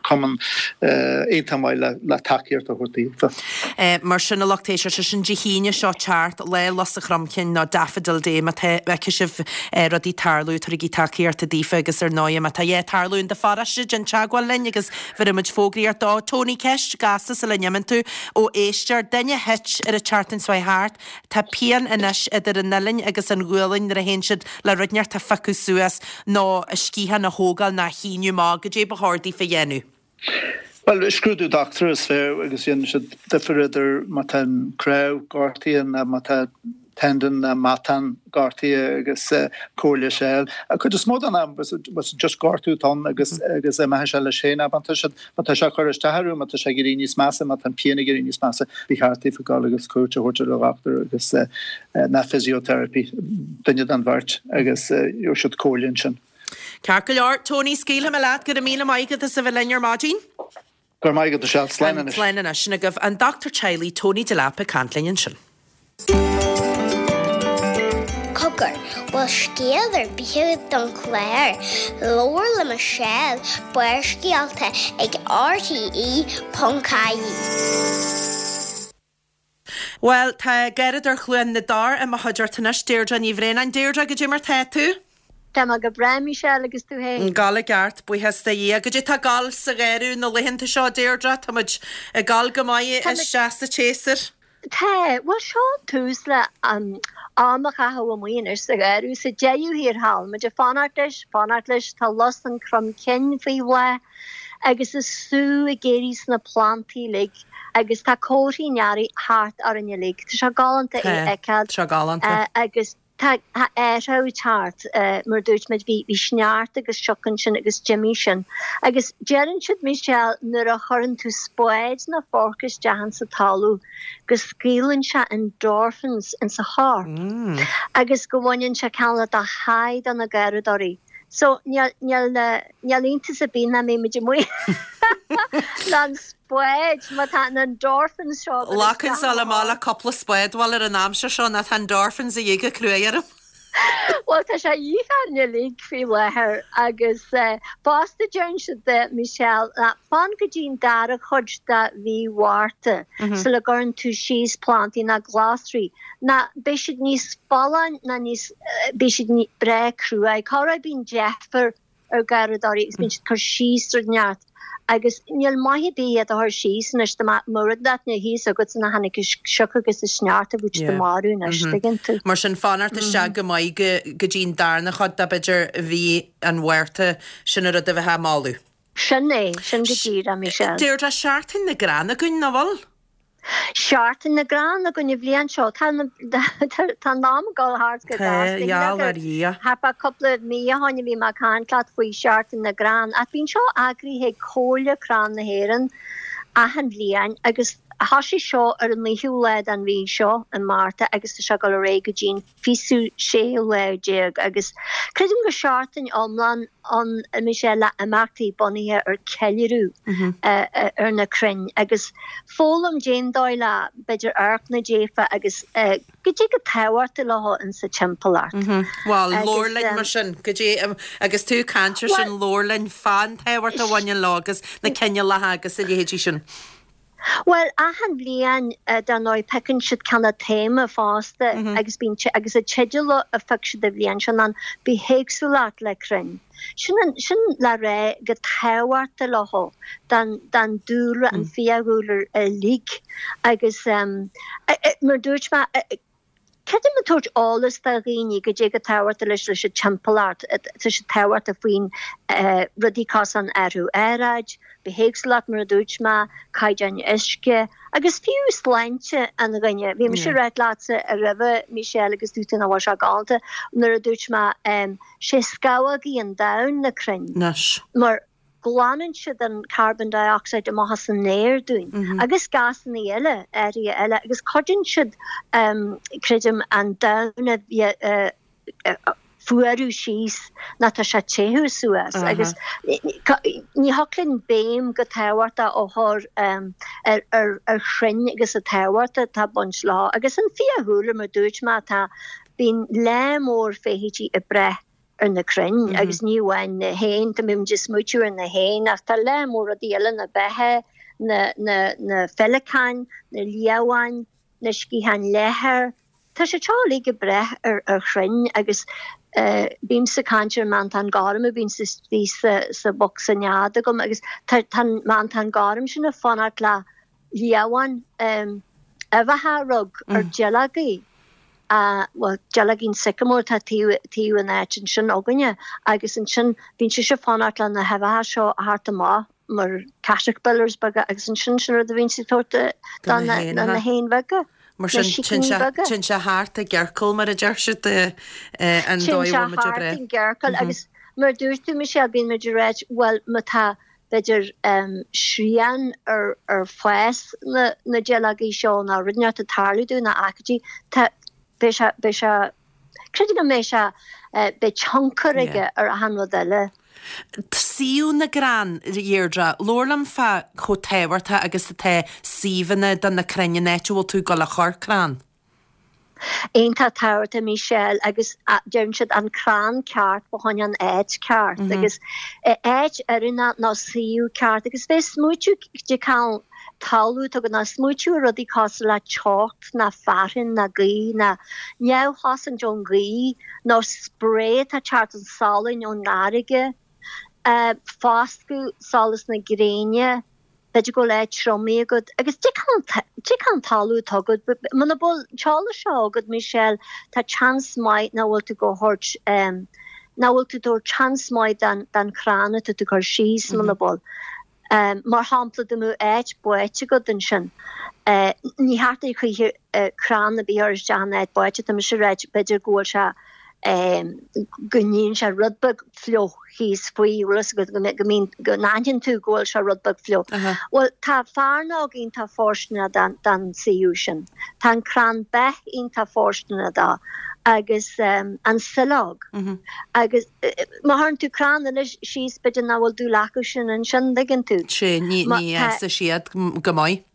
cumann iontach maith le le tacaíocht a thabhairt daofa. Mar sin a lucht éisteachta sin Dé hAoine seo teacht, Lá Lus an Chromchinn nó Daffodil Day má tá fheicfidh sibh rudaí tarlú tabhairigí tacaíocht daofa agus ar ndóigh má tá a dhath ag tarlú in do pharóiste déan teagmháil linn agus bhéarfaidh muid fógraíocht dó. Tony, ceist gasta sula n-imíonn tú ó éisteoir, duine a thit ar an tseachtain seo thart, tá pian anois idir an uillinn agus an ghualainn nuair a théann siad le rud inteacht a phiocadh suas nó a sciathán a thógáil nó a shíneadh amach, goidé ba chóir daofa a dhéanamh? Bhuel, scrúdú dochtúra is fearr agus déanann siad difear idir má tá an cnámh gortaithe nó má tá tendon nó matán gortaithe agus comhairle a fháil. An chuid is mó den am just gortú atá ann agus agus imeoidh sé leis féin. Má tá siad má tá sé ag cur isteach orthu, má tá sé ag éirí níos measa, má tá an pian ag éirí níos measa, ba cheart daofa dul agus cuairt a thabhairt ar an dhochtúir agus ná physiotherapy, duine den bheirt agus gheobhaidh siad comhairle ansin. Ceart go leor, Tony, scaoilfidh mé leat, go raibh míle maith agat as a bheith linn ar maidin. Go raibh maith agat, Michelle. Slán anois. Slán anois. Sin agaibh an dochtúir teaghlaigh Tony Delap ag caint linn ansin. Cogar, bhfuil scéal ar bith agat don chlár? Labhair le Michelle, Barrscéalta ag RTE ponc ie. Bhuel, tá Garradóir Chluain na dTor i mo chuideachta anois, Deirdre Ní Bhraonáin. Deirdre, goidé mar tá tú? Tá mé go breá Michelle agus tú fhéin? Gabháil i gceart, buíochas do Dhia. Goidé tá ag gabháil sa gharradh na laethanta seo, Deirdre? Tá muid ag gabháil go maith isteach sa tséasúr. Tá, bhuel seo an tús le am a chaitheamh amuigh anois sa gharradh, sa deireadh thiar thall. Muid ag fanacht leis, fanacht leis, tá lus an chrom cinn faoi bhláth agus is sú ag éirí sna plantaí uilig agus tá comharthaí an earraigh thart orainn uilig. Tá sé galánta é a fheiceáil. Tá sé galánta. Agus. Tá athrú ag teacht, mar a dúirt muid, bhí bhí sneachta agus sioc ansin agus d'imigh sin. Agus deireann siad, Michelle, nuair a chuireann tú spáid nó forc isteach insa talamh go scaoileann sé endorphins insa chorp agus go bhaineann sé cineál de high do na garraíodóirí. So níl níl níl iontas ar bith nach mbeidh muid amuigh le an spáid má tá na endorphins seo ag dul Glacann isteach le maith le cúpla spád bhuel ar an aimsir seo ná tá endorphins a dhíth go cruaidh orm. Bhuel tá sé a dhíth orainn uilig faoi láthair agus fosta deireann siad Michelle ná fan go dtí an dara cuid de mhí Mhárta sula gcuireann tú síos plantaí ná glasraí ná beidh siad níos folláin ná níos beidh siad breá cruaidh. Corruair bíonn deifir ar gharraíodóirí agus bíonn siad ag cur síos rud inteacht agus níl maith ar bith iad a chur síos anois dá mbeadh rud inteacht ina thíos agat san a tháinig an sioc agus an sneachta bheadh siad marbh anois, tuigeann tú. Mar sin fanacht isteach go maith go go dtí an darna chuid de b'fhéidir mhí an Mhárta sin an rud a bheifeá ag moladh. Sin é, sin go díreach, Michelle. Deirdre, Seachtain na gCrann againn, nach bhfuil? Seachtain na gCrann againn an bhliain seo. Tá an am ag dul thart go Tá, gheall ar Dhia. Thart fá cúpla mí ó shoin a bhí mé ag caint leat faoi Sheachtain na gCrann ach bíonn seo eagraithe ag Comhairle Crann na hÉireann achan bhliain agus thosaigh seo ar an naoú lá den mhí seo i Márta agus tá sé ag dul ar aghaidh go dtí an fichiú séú lá déag agus creidim gur seachtain iomlán ann Michelle le imeachtaí bunaithe ar ceiliúradh ar na crainn agus foghlaim cén dóigh le b'fhéidir amharc 'na dtaobh agus goidé chomh tábhachtach leo insa timpeallacht. Bhuel, labhair linn mar sin, goidé, agus tú ag caint ar sin, labhair linn fán tábhacht a bhaineann leo agus na cineálacha agus a leithéidí sin. Bhuel, achan bhliain, dar ndóigh, piocann siad cineál téama fosta agus bíonn, agus an teideal a phioc siad an bhliain seo ná Bithéagsúlacht le Crainn. Sin an, sin le rá chomh tábhachtach leo don, don dúlra, an fiadhúlra uilig agus mar a dúirt mé, Creidim ag tabhairt eolas do dhaoine goidé chomh tábhachtach leis leis an timpeallacht, tá sé tábhachtach faoin rudaí cosúil an athrú aeráid, bithéagsúlacht mar a dúirt mé, caighdeáin uisce agus fiú sláinte an dhuine. Bhí mise ag ráit leatsa roimhe Michelle agus dúirt tú nach bhfuil sé galánta nuair a dúirt mé sé scamhógaí an domhain na crainn mar glanann siad an carbon dioxide amach as an aer dúinn agus gásanna eile, áirithe eile, agus cuidíonn siad, creidim, an domhan a bheith fuarú síos ná tá sé téamh suas agus ní thiocfadh linn béim chomh tábhachtach a chur ar chrainn agus an tábhacht atá ag baint leo agus an fiadhúlra mar dúirt mé tá bíonn lear mór feithidí ag breith ar na crainn agus ní amháin na héin, tá muid ag smaoitiú ar na héin ach tá lear mór rudaí eile, na beithe, na, na, na féileacáin, na liamháin, na sciatháin leathair, tá siad seo uilig ag breith ar, ar chrainn agus eh, bímse ag caint ar an meantán gorm a bhíonn istigh sa, sa bhocsa nead agam agus tá, tá an meantán gorm sin ag fanacht le liamháin, em, uibheacha a rug ar duilleogaí. bhuel, duilleoigín sycamore atá taobh taobh an áit ansin againne agus ansin bíonn sise ag fanacht le na huibheacha seo a theacht amach mar caterpillars beaga agus ansin sin rud a bhíonn sí ag tabhairt do na na héin bheaga, Mar na sin sicíní beaga. téann sé thart i gciorcal mar a deir siad an Téann dóigh a sé bhfuil muid ag thart breith. i gciorcal agus mar a dúirt tú Michelle bíonn muid ag ráit bhuel má tá b'fhéidir srian ar ar fás na na duilleogaí seo nó rud inteacht ag tarlú dóibh nó aicídí tá beidh sé beidh sé creidim go mbeidh sé beidh tionchar aige ar achan rud eile. Suíomh na gcrann, a Dheirdre, labhair liom fá chomh tábhachtach agus atá suíomhanna do na crainn an áit a bhfuil tú ag dul a chur crann. Iontach tábhachtach Michelle agus deireann siad an crann ceart fá choinne an áit ceart agus áit oiriúnach nó suíomh ceart agus bheith smaoitiú de cineál talamh atá agat ná smaoitiú ar rudaí cosúil le teocht ná fearthainn ná gaoth ná neamhchosaint ón ghaoth nó spré atá ag teacht an salann ón fharraige, foscadh, solas na gréine, b'fhéidir go bhfuil áit triomaithe agat agus cad é cad é an talamh atá agat. Muna bhfuil an t-eolas seo agat, Michelle, tá seans maith nach bhfuil tú go thabhairt nach bhfuil tú ag tabhairt seans maith don don chrann atá tú ag cur síos muna bhfuil. Mar shampla, dá mbeadh áit báite agat ansin, ní theacht ar choíche crann ar bith a chur isteach in áit báite, tá mise ag ráit, b'fhéidir go bhfuil sé go mbíonn sé rud beag fliuch thíos faoi, bhfuil fhios agat, go go mbíonn, go n-aithníonn tú go bhfuil sé rud beag fliuch. Bhuel, tá fearnóg iontach fóirsteanach don don suíomh sin. Tá an crann beith iontach fóirsteanach dó agus an sileog. Agus má chuireann tú crann eile síos, b'fhéidir nach bhfuil dúil acu sin ansin, an dtuigeann tú. Sea, ní ní fhásfaidh siad go maith.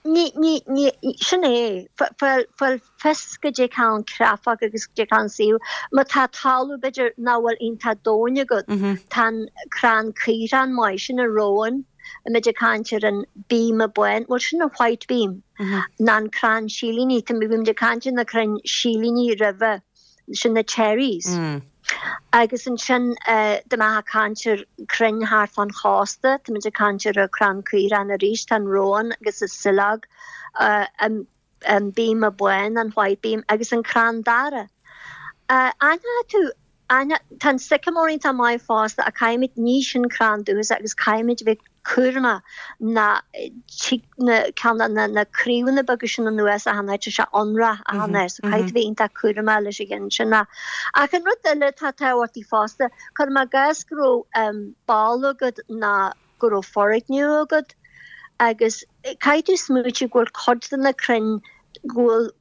Ní, ní, ní, sin é. Fáil, fáil fios goidé cán cráifeach agus goidé cán suíomh. Má tá talamh b'fhéidir nach bhfuil iontach domhain agat, tá an crann caorthainn maith, sin an rowan, muid ag caint ar an bíoma bán, bhuel sin an white beam, ná an crann silíní, tá, bhí muid ag caint ar na crainn silíní roimhe, sin na cherries. Agus ansin dá mbeifeá ag caint ar crainn thart fán chósta, tá muid ag caint ar an crann caorthainn arís, tá an rowan agus an sileog, an bíoma bán, an white beam, agus an crann dara. Aithneoidh tú, tá an sycamore iontach maith fosta ach caithfimid, ní sin crann dúchasach agus caithfimid a bheith cúramach ná tig na ceann na na craobhanna beaga sin anuas achan áit, tá sé ionrach achan áit so caithfidh tú bheith iontach cúramach leis an gceann sin. Ach an rud eile atá tábhachtach fosta, cuirim i gcás go raibh balla agat ná go raibh foirgneamh agat agus caithfidh tú smaoitiú go bhfuil cuid de na crainn go bhfuil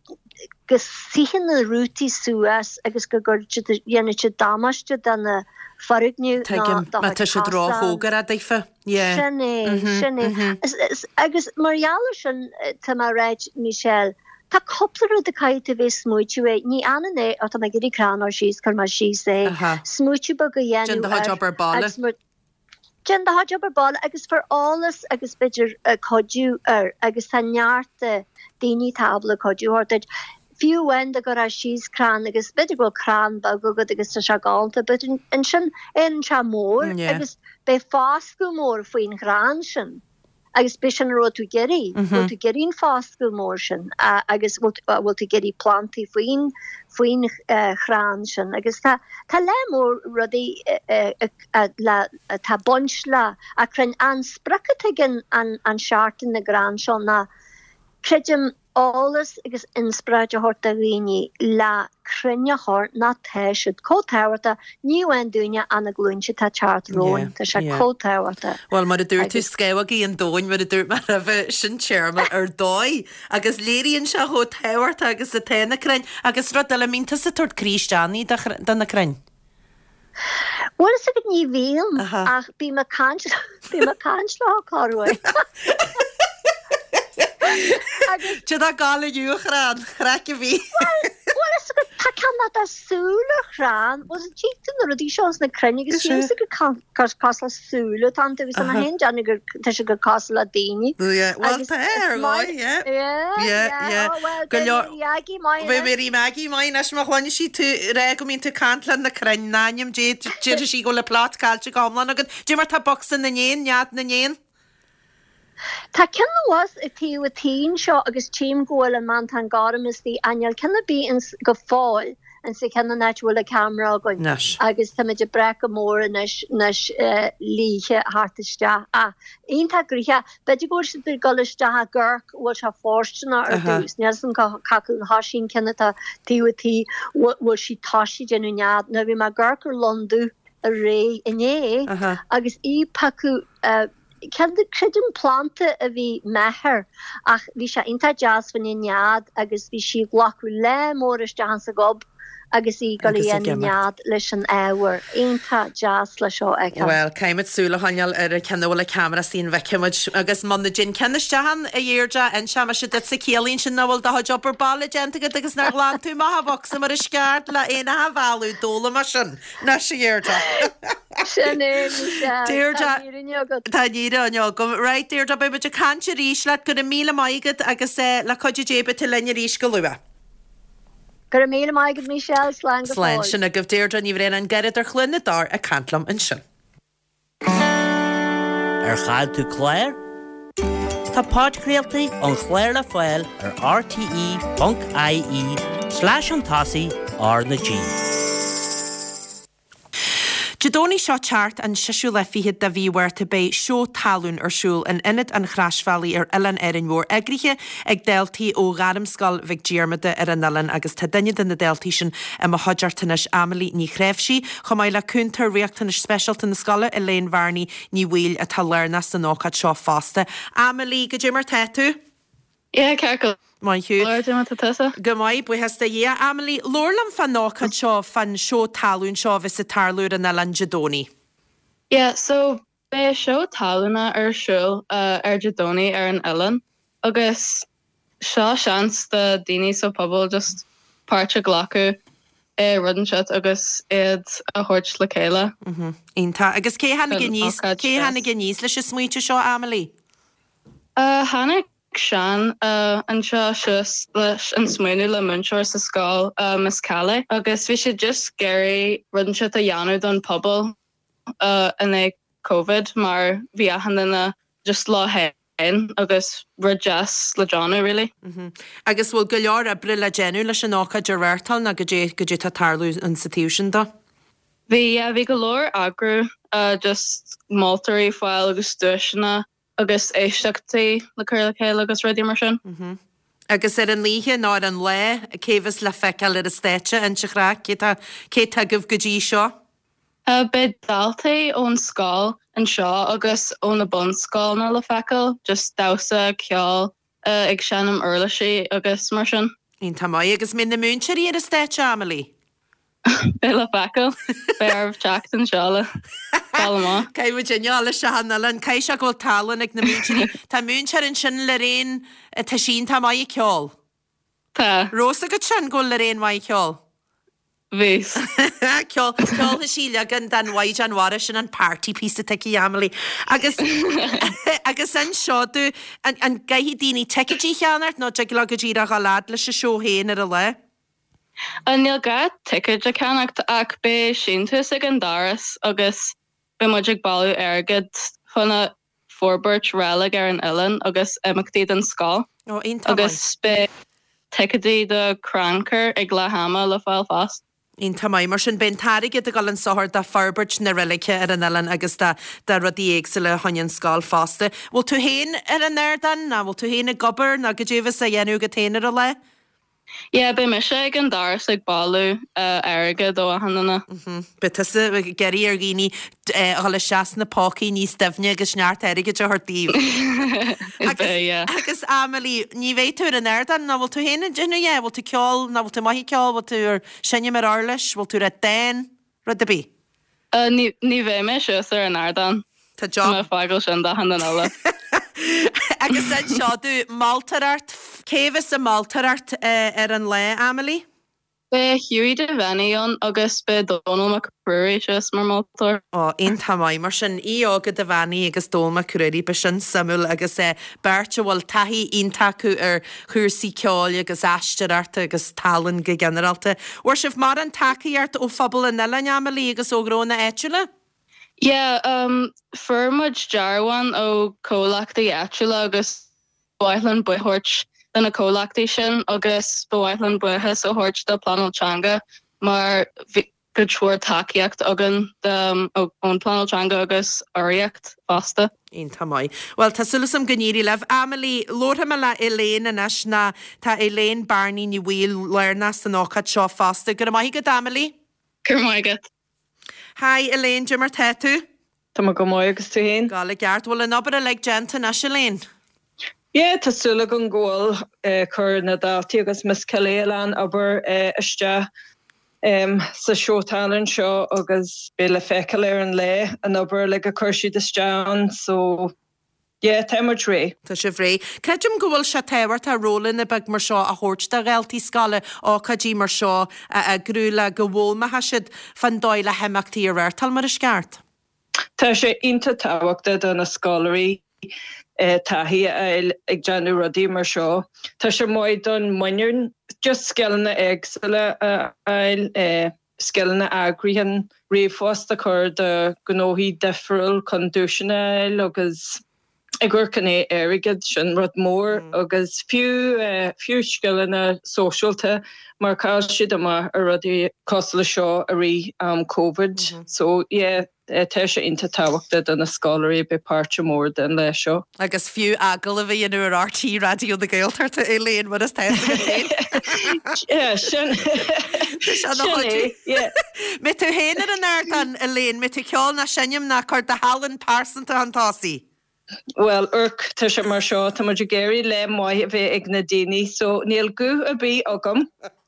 go suífidh na rútaí suas agus go gcuirfidh siad, dhéanfaidh siad damáiste do na foirgnimh ná Tuigim, do má chuid tá siad cosán. róchóngarach daofa. Yeah. Sin é, Mhm, sin é. mhm. Is, is, agus mar gheall ar sin, tá mé ag ráit, Michelle, tá cúpla rud a caithfidh tú a bheith ag smaoitiú air. Ní fhanann é, ó tá mé ag iarraidh crann a chur síos, cuir mé síos é. Aha. Smaoitiú beag a Déan dhéanamh do chuid air obair baile. agus mar, Déan do chuid obair baile agus fair eolas agus b'fhéidir cuidiú air agus tá neart daoine atá ábalta cuidiú a thabhairt duit. Fiú amháin dá gcuirfeá síos crann agus b'fhéidir go bhfuil crann beag agat agus tá sé galánta but ansin éiríonn sé mór agus beidh foscadh mór faoin chrann sin. Agus b'shin a raibh tú ag iarraidh, bhfuil tú ag iarraidh an foscadh mór sin agus bhfuil tú ag iarraidh plantaí faoin faoin chrann sin agus tá tá lear mór rudaí le atá ag baint le a crainn. An sprioc atá ag an an Seachtain na gCrann seo ná creidim eolas agus inspioráid a thabhairt do dhaoine le crainn a chur nó tá siad chomh tábhachtach, ní amháin dúinne ach na glúinte atá ag teacht romhainn, tá sé chomh tábhachtach. Bhuel, mar a dúirt tú, scamhógaí an domhain, mar a dúirt mé roimhe, sin téarma ar dóigh agus léiríonn sé chomh tábhachtach agus atá na crainn. Agus rud eile, an mbíonn tusa ag tabhairt croí isteach do na crainn? Bhuel is ag ní bhím ach bím ag caint bím ag caint leo corruair. Cad é gal inniu a chrann, craic a bhí. Bhuel is ag tá ceann tá súil ar chrann, bhuel is tchí tú na rudaí seo is na crainn agus sílim gur cosúil le súil atá iontu agus tá mé féin ag déanamh gur tá sé gur cosúil le daoine. Bhuel tá ar dhóigh, yeah. Yeah, yeah. Oh well beidh Mary Aggie maith Beidh Mary Maggie maith anois má chluineann sí tú ag rá go mbíonn tú ag caint le na crainn in ainm Dé déarfaidh sí go bhfuil an plot caillte go hiomlán agat. Dé mar tá bocsa na n-éan, nead na n-éan? Tá ceann abhus ag taobh an tí anseo agus tchím go bhfuil an mantán gorm istigh ach níl ceann ar bith ins go fóill ins an cheann an áit a bhfuil an ceamara againn Anois. agus táimid ag brath go mór anois anois líthe thart isteach ach iontach gnoitheach b'fhéidir go bhfuil siad ag dul isteach i gcorc bhfuil sé fóirsteanach ar Aha. dtús níl 'fhios a'm cá acu an thoisíonn ceann atá taobh an tí bhfuil sí toisithe ag déanamh nead nuair bhí mé ag amharc ar lon dubh aréir inné Aha. agus í ag piocadh Ceann de, creidim, planda a bhí meidhir ach bhí sé iontach deas fá choinne nead agus bhí sí ag glacadh lear mór isteach insa gob agus í ag dul ag imeacht leis an ábhar. Iontach deas le seo a fheiceáil. Bhuel, caithfimid súil a choinneáil ar an ceann a bhfuil an ceamara sin bhfeicfimid agus muna dtéann ceann isteach ann, a Dheirdre, inseoidh mise duitse ciallaíonn sin nach bhfuil do chuid obair baile déanta agat agus nár ghlan tú amach an bocsa mar is ceart le éanacha a mhealladh, d'fhoghlaim mé sin anois, a Dheirdre. Sin é, Michelle. Deirdre, Tá an fhírinne agat. Tá an fhírinne agam. Right, Deirdre, beidh muid ag caint arís leat. Go raibh míle maith agat agus le cuidiú Dé beidh tú linn arís go luath. Go raibh míle maith agat Michelle, slán go Slán fóill. sin agaibh Deirdre Ní Bhraonáin, Garradóir Chluain na dTor ag caint liom ansin. Ar chaill tú clár? Tá podchraoltaí an chláir le fáil ar rte ponc ie slash chun tosaigh R na G. Dé Domhnaigh seo teacht an seisiú lá fichead de mhí Mhárta beidh seó talún ar siúl in Ionad an Chroisbhealaigh ar Oileán Árainn Mhór eagraithe ag daltaí ó Ghairmscoil Mhic Diarmada ar an oileán agus tá duine de na daltaí sin i mo chuideachta anois Amelie Ní Chréimhsí chomh maith le cúntóir riachtanais speisialta na scoile Elaine Bhearnaí Ní Bhaoill atá lárnach san ócáid seo fosta. Amelie, goidé mar tá tú? Yeah, ceart go Maith thú. leor má tá tusa. Go maith buíochas do Dhia. Amelie, labhair liom fán ócáid seo fán seó talún seo a bheas ag tarlú ar an oileán Dé Domhnaigh. Yeah, so beidh seó talúna ar siúl uh, ar Dé Domhnaigh ar an oileán agus seo seans do daoine sa pobal just páirt a ghlacadh i rud inteacht agus iad a thabhairt le chéile. Iontach agus cé tháinig An aníos ócáid cé tháinig deas. aníos leis an smaointe seo Amelie? Uh, tháinig Sean uh, anseo suas leis an smaoineamh le múinteoir sa scoil uh, Miss Calais agus bhí sé just ag iarraidh rud inteacht a dhéanamh don pobal uh, in é COVID mar bhí achan duine just leo féin agus rud deas le déanamh really. Agus bhfuil go leor oibre le déanamh leis an ócáid a reáchtáil nó goidé goidé tá tarlú an sa taobh sin de. Bhí yeah, bhí go leor eagrú uh, just moltóirí fáil agus duaiseanna agus éisteachtaí le cur le chéile agus rudaí mar sin. Agus ar an oíche nó ar an lá cé bheas le feiceáil ar an stáitse an chraic cé tá cé agaibh go dtí seo? Uh, Beidh daltaí ón scoil anseo agus ó na bunscoileanna le feiceáil, just damhsa ceol uh, ag seinm uirlisí agus mar sin. Iontach maith agus mbeidh na múinteoirí ar an stáitse Amelie. Beidh le feiceáil Beidh orthu teacht anseo le fáil amach. Caithfidh muid inneall se an Caithfidh sé go bhfuil tallann ag na múinteoirí. Tá múinteoir ansin Lorraine tá sin tá maith ag ceol. Tá Rós agat sin go bhfuil Lorraine maith ag ceol. Bhí. Ceol ceolfaidh sí leagan den Mhaighdean Mhara sin an party piece atá aici Amelie. Agus agus anseo dú an an gcaithfidh daoine ticéidí a cheannacht nó dtig leo go díreach a lead leis an seó féin ar an lá. An níl gá ticéid a cheannacht ach beidh síntiús ag an doras agus beidh muid ag bailiú airgead chun forbairt reilig ar an oileán agus imeachtaí den scoil. Ó iontach maith. agus beidh ticéidí do crannchur ag leath ama le fáil fosta. Iontach maith mar sin beidh an t-airgead ag dul an sochar do forbairt na reilige ar an oileán agus do do rudaí éagsúla chun an scoil fosta. Bhfuil tú féin ar an ardán ná bhfuil tú féin ag obair ná goidé a bheas á dhéanamh agat féin ar an lá? Yeah, beidh mise ag an doras ag bailiú uh, airgead ó achan duine. Beidh tusa ag iarraidh ar dhaoine a dhul isteach sna pócaí níos doimhne agus neart airgid a thabhairt daoibh. Is beidh, yeah. Agus Amelie, ní bheidh tú ar an ardán ná bhfuil tú féin ag déanamh é, bhfuil tú ceol ná bhfuil tú maith ag ceol, bhfuil tú ar seinm ar uirlis, bhfuil tú ar dán, rud ar bith. Uh, ní ní bheidh mé suas ar an ardán. Tá Tá job. mé fágáil sin d'achan duine eile. Agus anseo dú moltóireacht, cé bheas ag moltóireacht ar an lá, Amelie? Beidh Hughie Devaney ann agus beidh Donald McCrory suas mar moltóir. Ó iontach maith mar sin Íóga Devaney agus Donald McCrory b'é sin suimiúil agus eh, beirt a bhfuil taithí iontach acu ar chúrsaí ceoil agus aisteoireachta agus tallann go ginearálta. Bhfuair sibh mar an tacaíocht ó phobal an oileáin Amelie agus ó ghnónna áitiúla? Yeah, um, fuair muid dearbháin ó comhlachtaí áitiúla agus ba mhaith linn buíochas do na comhlachtaí sin agus ba mhaith linn buíochas a thabhairt do Pleanáil Teanga mar bhí go leor tacaíocht againn um, ón Pleanáil Teanga agus urraíocht fosta. Iontach maith. Well tá súil agam go n-éireoidh libh. Amelie labharfaidh mé le Elaine anois ná tá Elaine Barney Ní Bhaoill lárnach san ócáid seo fosta. Go raibh maith agat Amelie? Go raibh maith agat. Hi Elaine, goidé mar tá tú? Tá mé go maith agus tú féin? Gal i gceart bhfuil an obair uilig déanta anois Elaine. Yeah, tá súil agam go bhfuil uh, chuir na daltaí agus Miss Kelly an obair uh, isteach um, sa seó tallann seo agus beidh le feiceáil ar an lá an obair like a chuir siad isteach so yeah, tá muid réidh. Tá sibh réidh. Creidim go bhfuil sé tábhachtach rólanna beag mar seo a thabhairt do dhaltaí scoile ócáidí mar seo a eagrú le go bhfoghlaimeoidh siad fán dóigh le himeachtaí a reáchtáil mar is ceart. Tá sé iontach tábhachtach do na scoláirí eh, taithí a fháil ag déanamh rudaí mar seo. Tá sé maith don muinín just scileanna éagsúla a fháil eh, scileanna eagraithe ríomhphost a chur do ghnóthaí difriúil chun duaiseanna a fháil agus ag cur chun airgead sin rud mór mm. agus fiú uh, fiú scileanna sóisialta mar chaill siad amach ar rudaí cosúil le seo i rith um, COVID. Mm -hmm. So yeah, tá sé iontach tábhachtach do na scoláirí bheith páirt mór den lá seo. Agus fiú agallamh a dhéanamh ar R T Raidió na Gaeltachta Elaine mar is sin Mbeidh tú féin ar an ardán Elaine, mbeidh tú ceol ná seinm ná cur do thallann pearsanta chun tosaigh. Well amharc tá sé mar seo tá muid ag iarraidh lá maith a bheith ag na daoine, so níl guth ar bith agam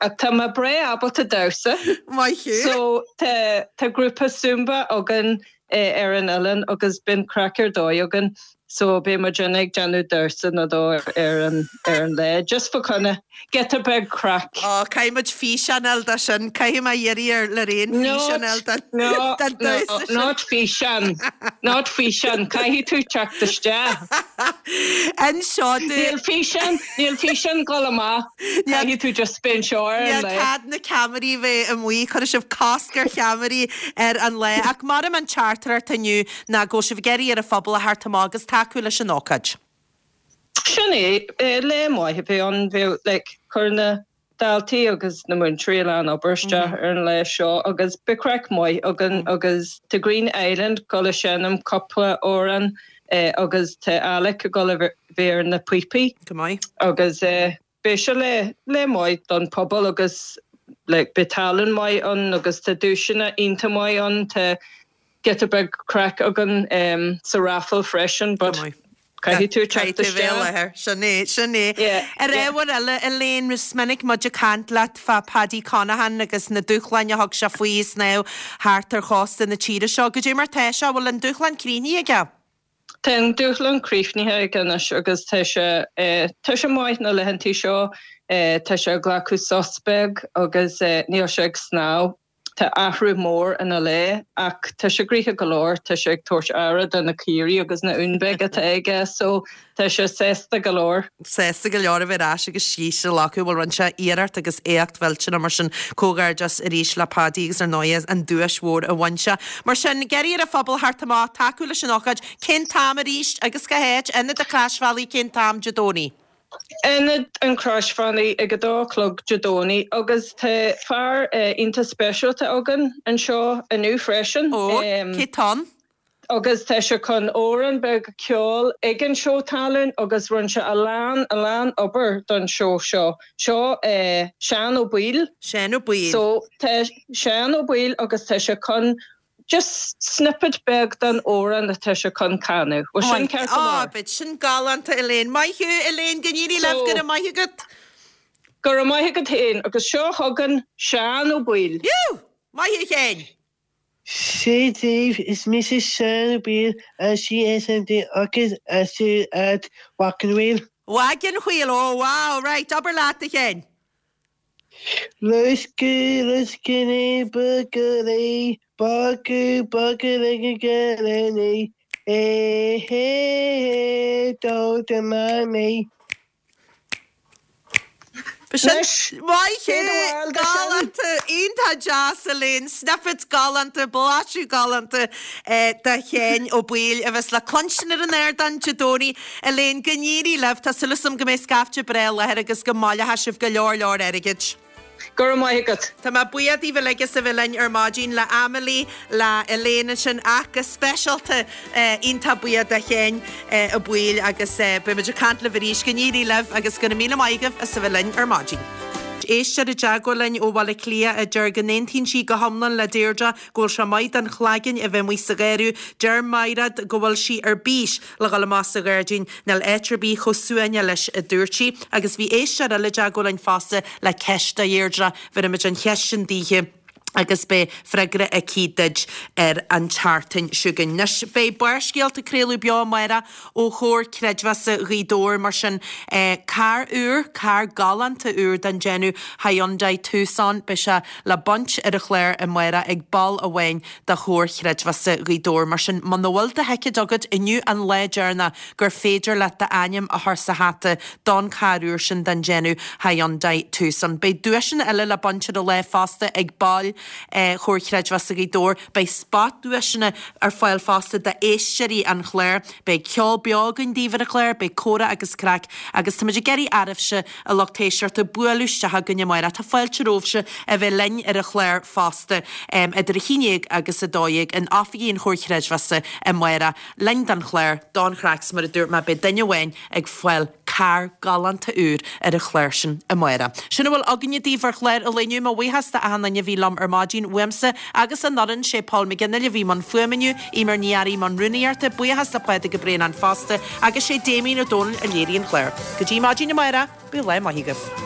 ach tá mé breá ábalta damhsa. Maith So tá tá grúpa Zumba againn eh, ar an oileán agus bíonn craic ar dóigh againn. So beidh muid ag déanamh damhsa nó dó ar an ar an lá just for kind of get a big craic. Ó caithfimid físeán de sin caithfidh mé iarraidh ar Lorraine físeán No, no, not físeán not físeán caithfidh tú teacht isteach. Anseo Níl físeán níl físeán go amach caithfidh tú just spin seo ar an Níl lá. cead na ceamaraí bheith amuigh chuir sibh cosc ar cheamaraí ar an lá ach mar an teachtaireacht inniu ná go sibh ag iarraidh ar an phobal a theacht amach agus tacú leis an ócáid. Sin é eh, lá maith a bheidh ann bheidh like, chuir na daltaí agus na múinteoirí an obair isteach ar an lá seo agus beidh craic maith againn agus tá Green Island ag dul a seinm cúpla amhrán eh, agus tá Alec ag dul a bheith ar na píopaí Go maith. agus eh, beidh sé lá lá maith don pobal agus like, beidh tallann maith ann agus tá duaiseanna iontach maith ann tá get a big craic againn um, sa raffle freisin, but caithfidh tú teacht isteach. Sin é sin é. Yeah, Ar yeah. ábhar eile Elaine is minic muid ag caint leat fá Paddy Conaghan agus na dúshláin a thug sé faoi snámh thart ar chósta na tíre seo, Goidé mar tá sé bhfuil an dúshlán críochnaithe aige. Tá an dúshlán críochnaithe aige anois agus tá sé eh, tá sé maith na laethantaí seo eh, tá sé ag glacadh sos beag agus eh, níl sé ag snámh. Tá athrú mór ina lá ach tá sé gnoitheach go leor tá sé ag tabhairt aire do na caoirigh agus na uain beag atá aige so tá sé sásta go leor. Sásta go leor a bheith ais agus síos lecu bhfuil rinne sé iarracht agus éacht mhillteanach mar sin comhghairdeas arís le Paddy agus ar ndóigh an duais mhór a bhain sé. Mar sin iarraidh ar an phobal theacht amach tacú leis an ócáid cén t-am arís agus cá háit Ionad an Chroisbhealaigh cén t-am Dé Domhnaigh. Ionad an Chroisbhealaigh ag a dó a chlog Dé Domhnaigh agus tá fear uh, iontach speisialta againn anseo inniu freisin. Ó cé atá ann? agus tá sé chun amhrán beag ceol ag an seó tallann agus rinne sé a lán a lán obair don seó seo. Seo eh, Seán Ó Baoill. Seán Ó Baoill. So tá Seán Ó Baoill agus tá sé chun just snippet beag den amhrán atá sé chun canadh. Well sin ceart go Á leor. beidh sin galánta Elaine. Maith thú Elaine go n-éirí libh So- go raibh maith agat. Go raibh maith agat féin agus seo chugainn Seán Ó Baoill. Jú! Maith thú Sheáin. Sé daoibh is mise Seán Ó Baoill a C S M D agus as at Wagon Wagon wheel oh wow right abair leat a Sheáin. Lusku luskini bugary bagu bugary Hey hey hey don't demand me. Maith galánta iontach deas Elaine, snippet galánta blaiseadh galánta de Sheán Ó Baoill a bheas le cluinstin ar an ardán Dé Domhnaigh Elaine go n-éirí libh tá súil agam go mbeidh scaifte breá i láthair agus go mbaileoidh sibh go leor leor airgid. Go raibh maith agat. Tá mé buíoch daoibh uilig as a bheith linn ar maidin le Amelie le Elaine sin ach go speisialta iontach buíoch de Sheán Ó Baoill agus beimid ag caint libh arís go n-éirí libh agus go raibh míle maith agaibh as a bheith linn ar maidin. Éisteoir i dteagmháil linn ó Bhaile Átha Cliath a deir go n-aontaíonn sí go hiomlán le Deirdre go bhfuil sé maith don chlaigeann a bheith amuigh sa gheimhreadh, deir Mairéad go bhfuil sí ar bís le dhul amach sa ghairdín níl áit ar bith chomh suaimhneach leis a dúirt sí, agus bhí éisteoir eile i dteagmháil linn fosta le ceist do Dheirdre, bhí muid an cheist sin daoithe. agus beidh freagra aici duit ar an tseachtain seo chugainn. Anois, beidh Barrscéalta ag craoladh beo amárach ó Chomhar Creidmheasa Ghaoth Dobhair, mar sin carr úr, carr galánta úr den déanamh Hyundai Tucson, beidh sé le baint ar an chlár amárach ag ball amháin de Chomhar Chreidmheasa Ghaoth Dobhair. Mar sin, muna bhfuil do thicéad agat, inniu an lá deireanach gur féidir leat d'ainm a chur sa hata don charr úr sin den déanamh Hyundai Tucson. Beidh duaiseanna eile le baint ar an lá fosta ag baill Chomhar Chreidmheasa Ghaoth Dobhair. Beidh spotduaiseanna ar fáil fosta d'éisteoirí an chláir. Beidh ceol beo againn daoibh ar an chlár, beidh comhrá agus craic agus táimid ag iarraidh oraibhse, a lucht éisteachta, bualadh isteach chugainn amárach. Tá fáilte romhaibhse a bheith linn ar an chlár fosta idir a haon déag agus a dó dhéag in oifigí an Chomhair Chreidmheasa amárach. Linn don chlár, don chraic 's mar a dúirt mé, beidh duine amháin ag fáil carr galánta úr ar an chlár sin amárach. Sin a bhfuil againne daoibh ar chlár an lae inniu. Mo bhuíochas d'achan duine a bhí liom ar maidin, uaimse agus an fhoireann, sé Paul McGinley a bhí i mbun fuaime inniu, Eimear Ní Fhearraigh i mbun rúnaíochta, buíochas le Pádraig Ó Braonáin fosta agus sé Damien Ó Dónaill a léirigh an clár. Go dtí maidin amárach, bíodh lá maith agaibh.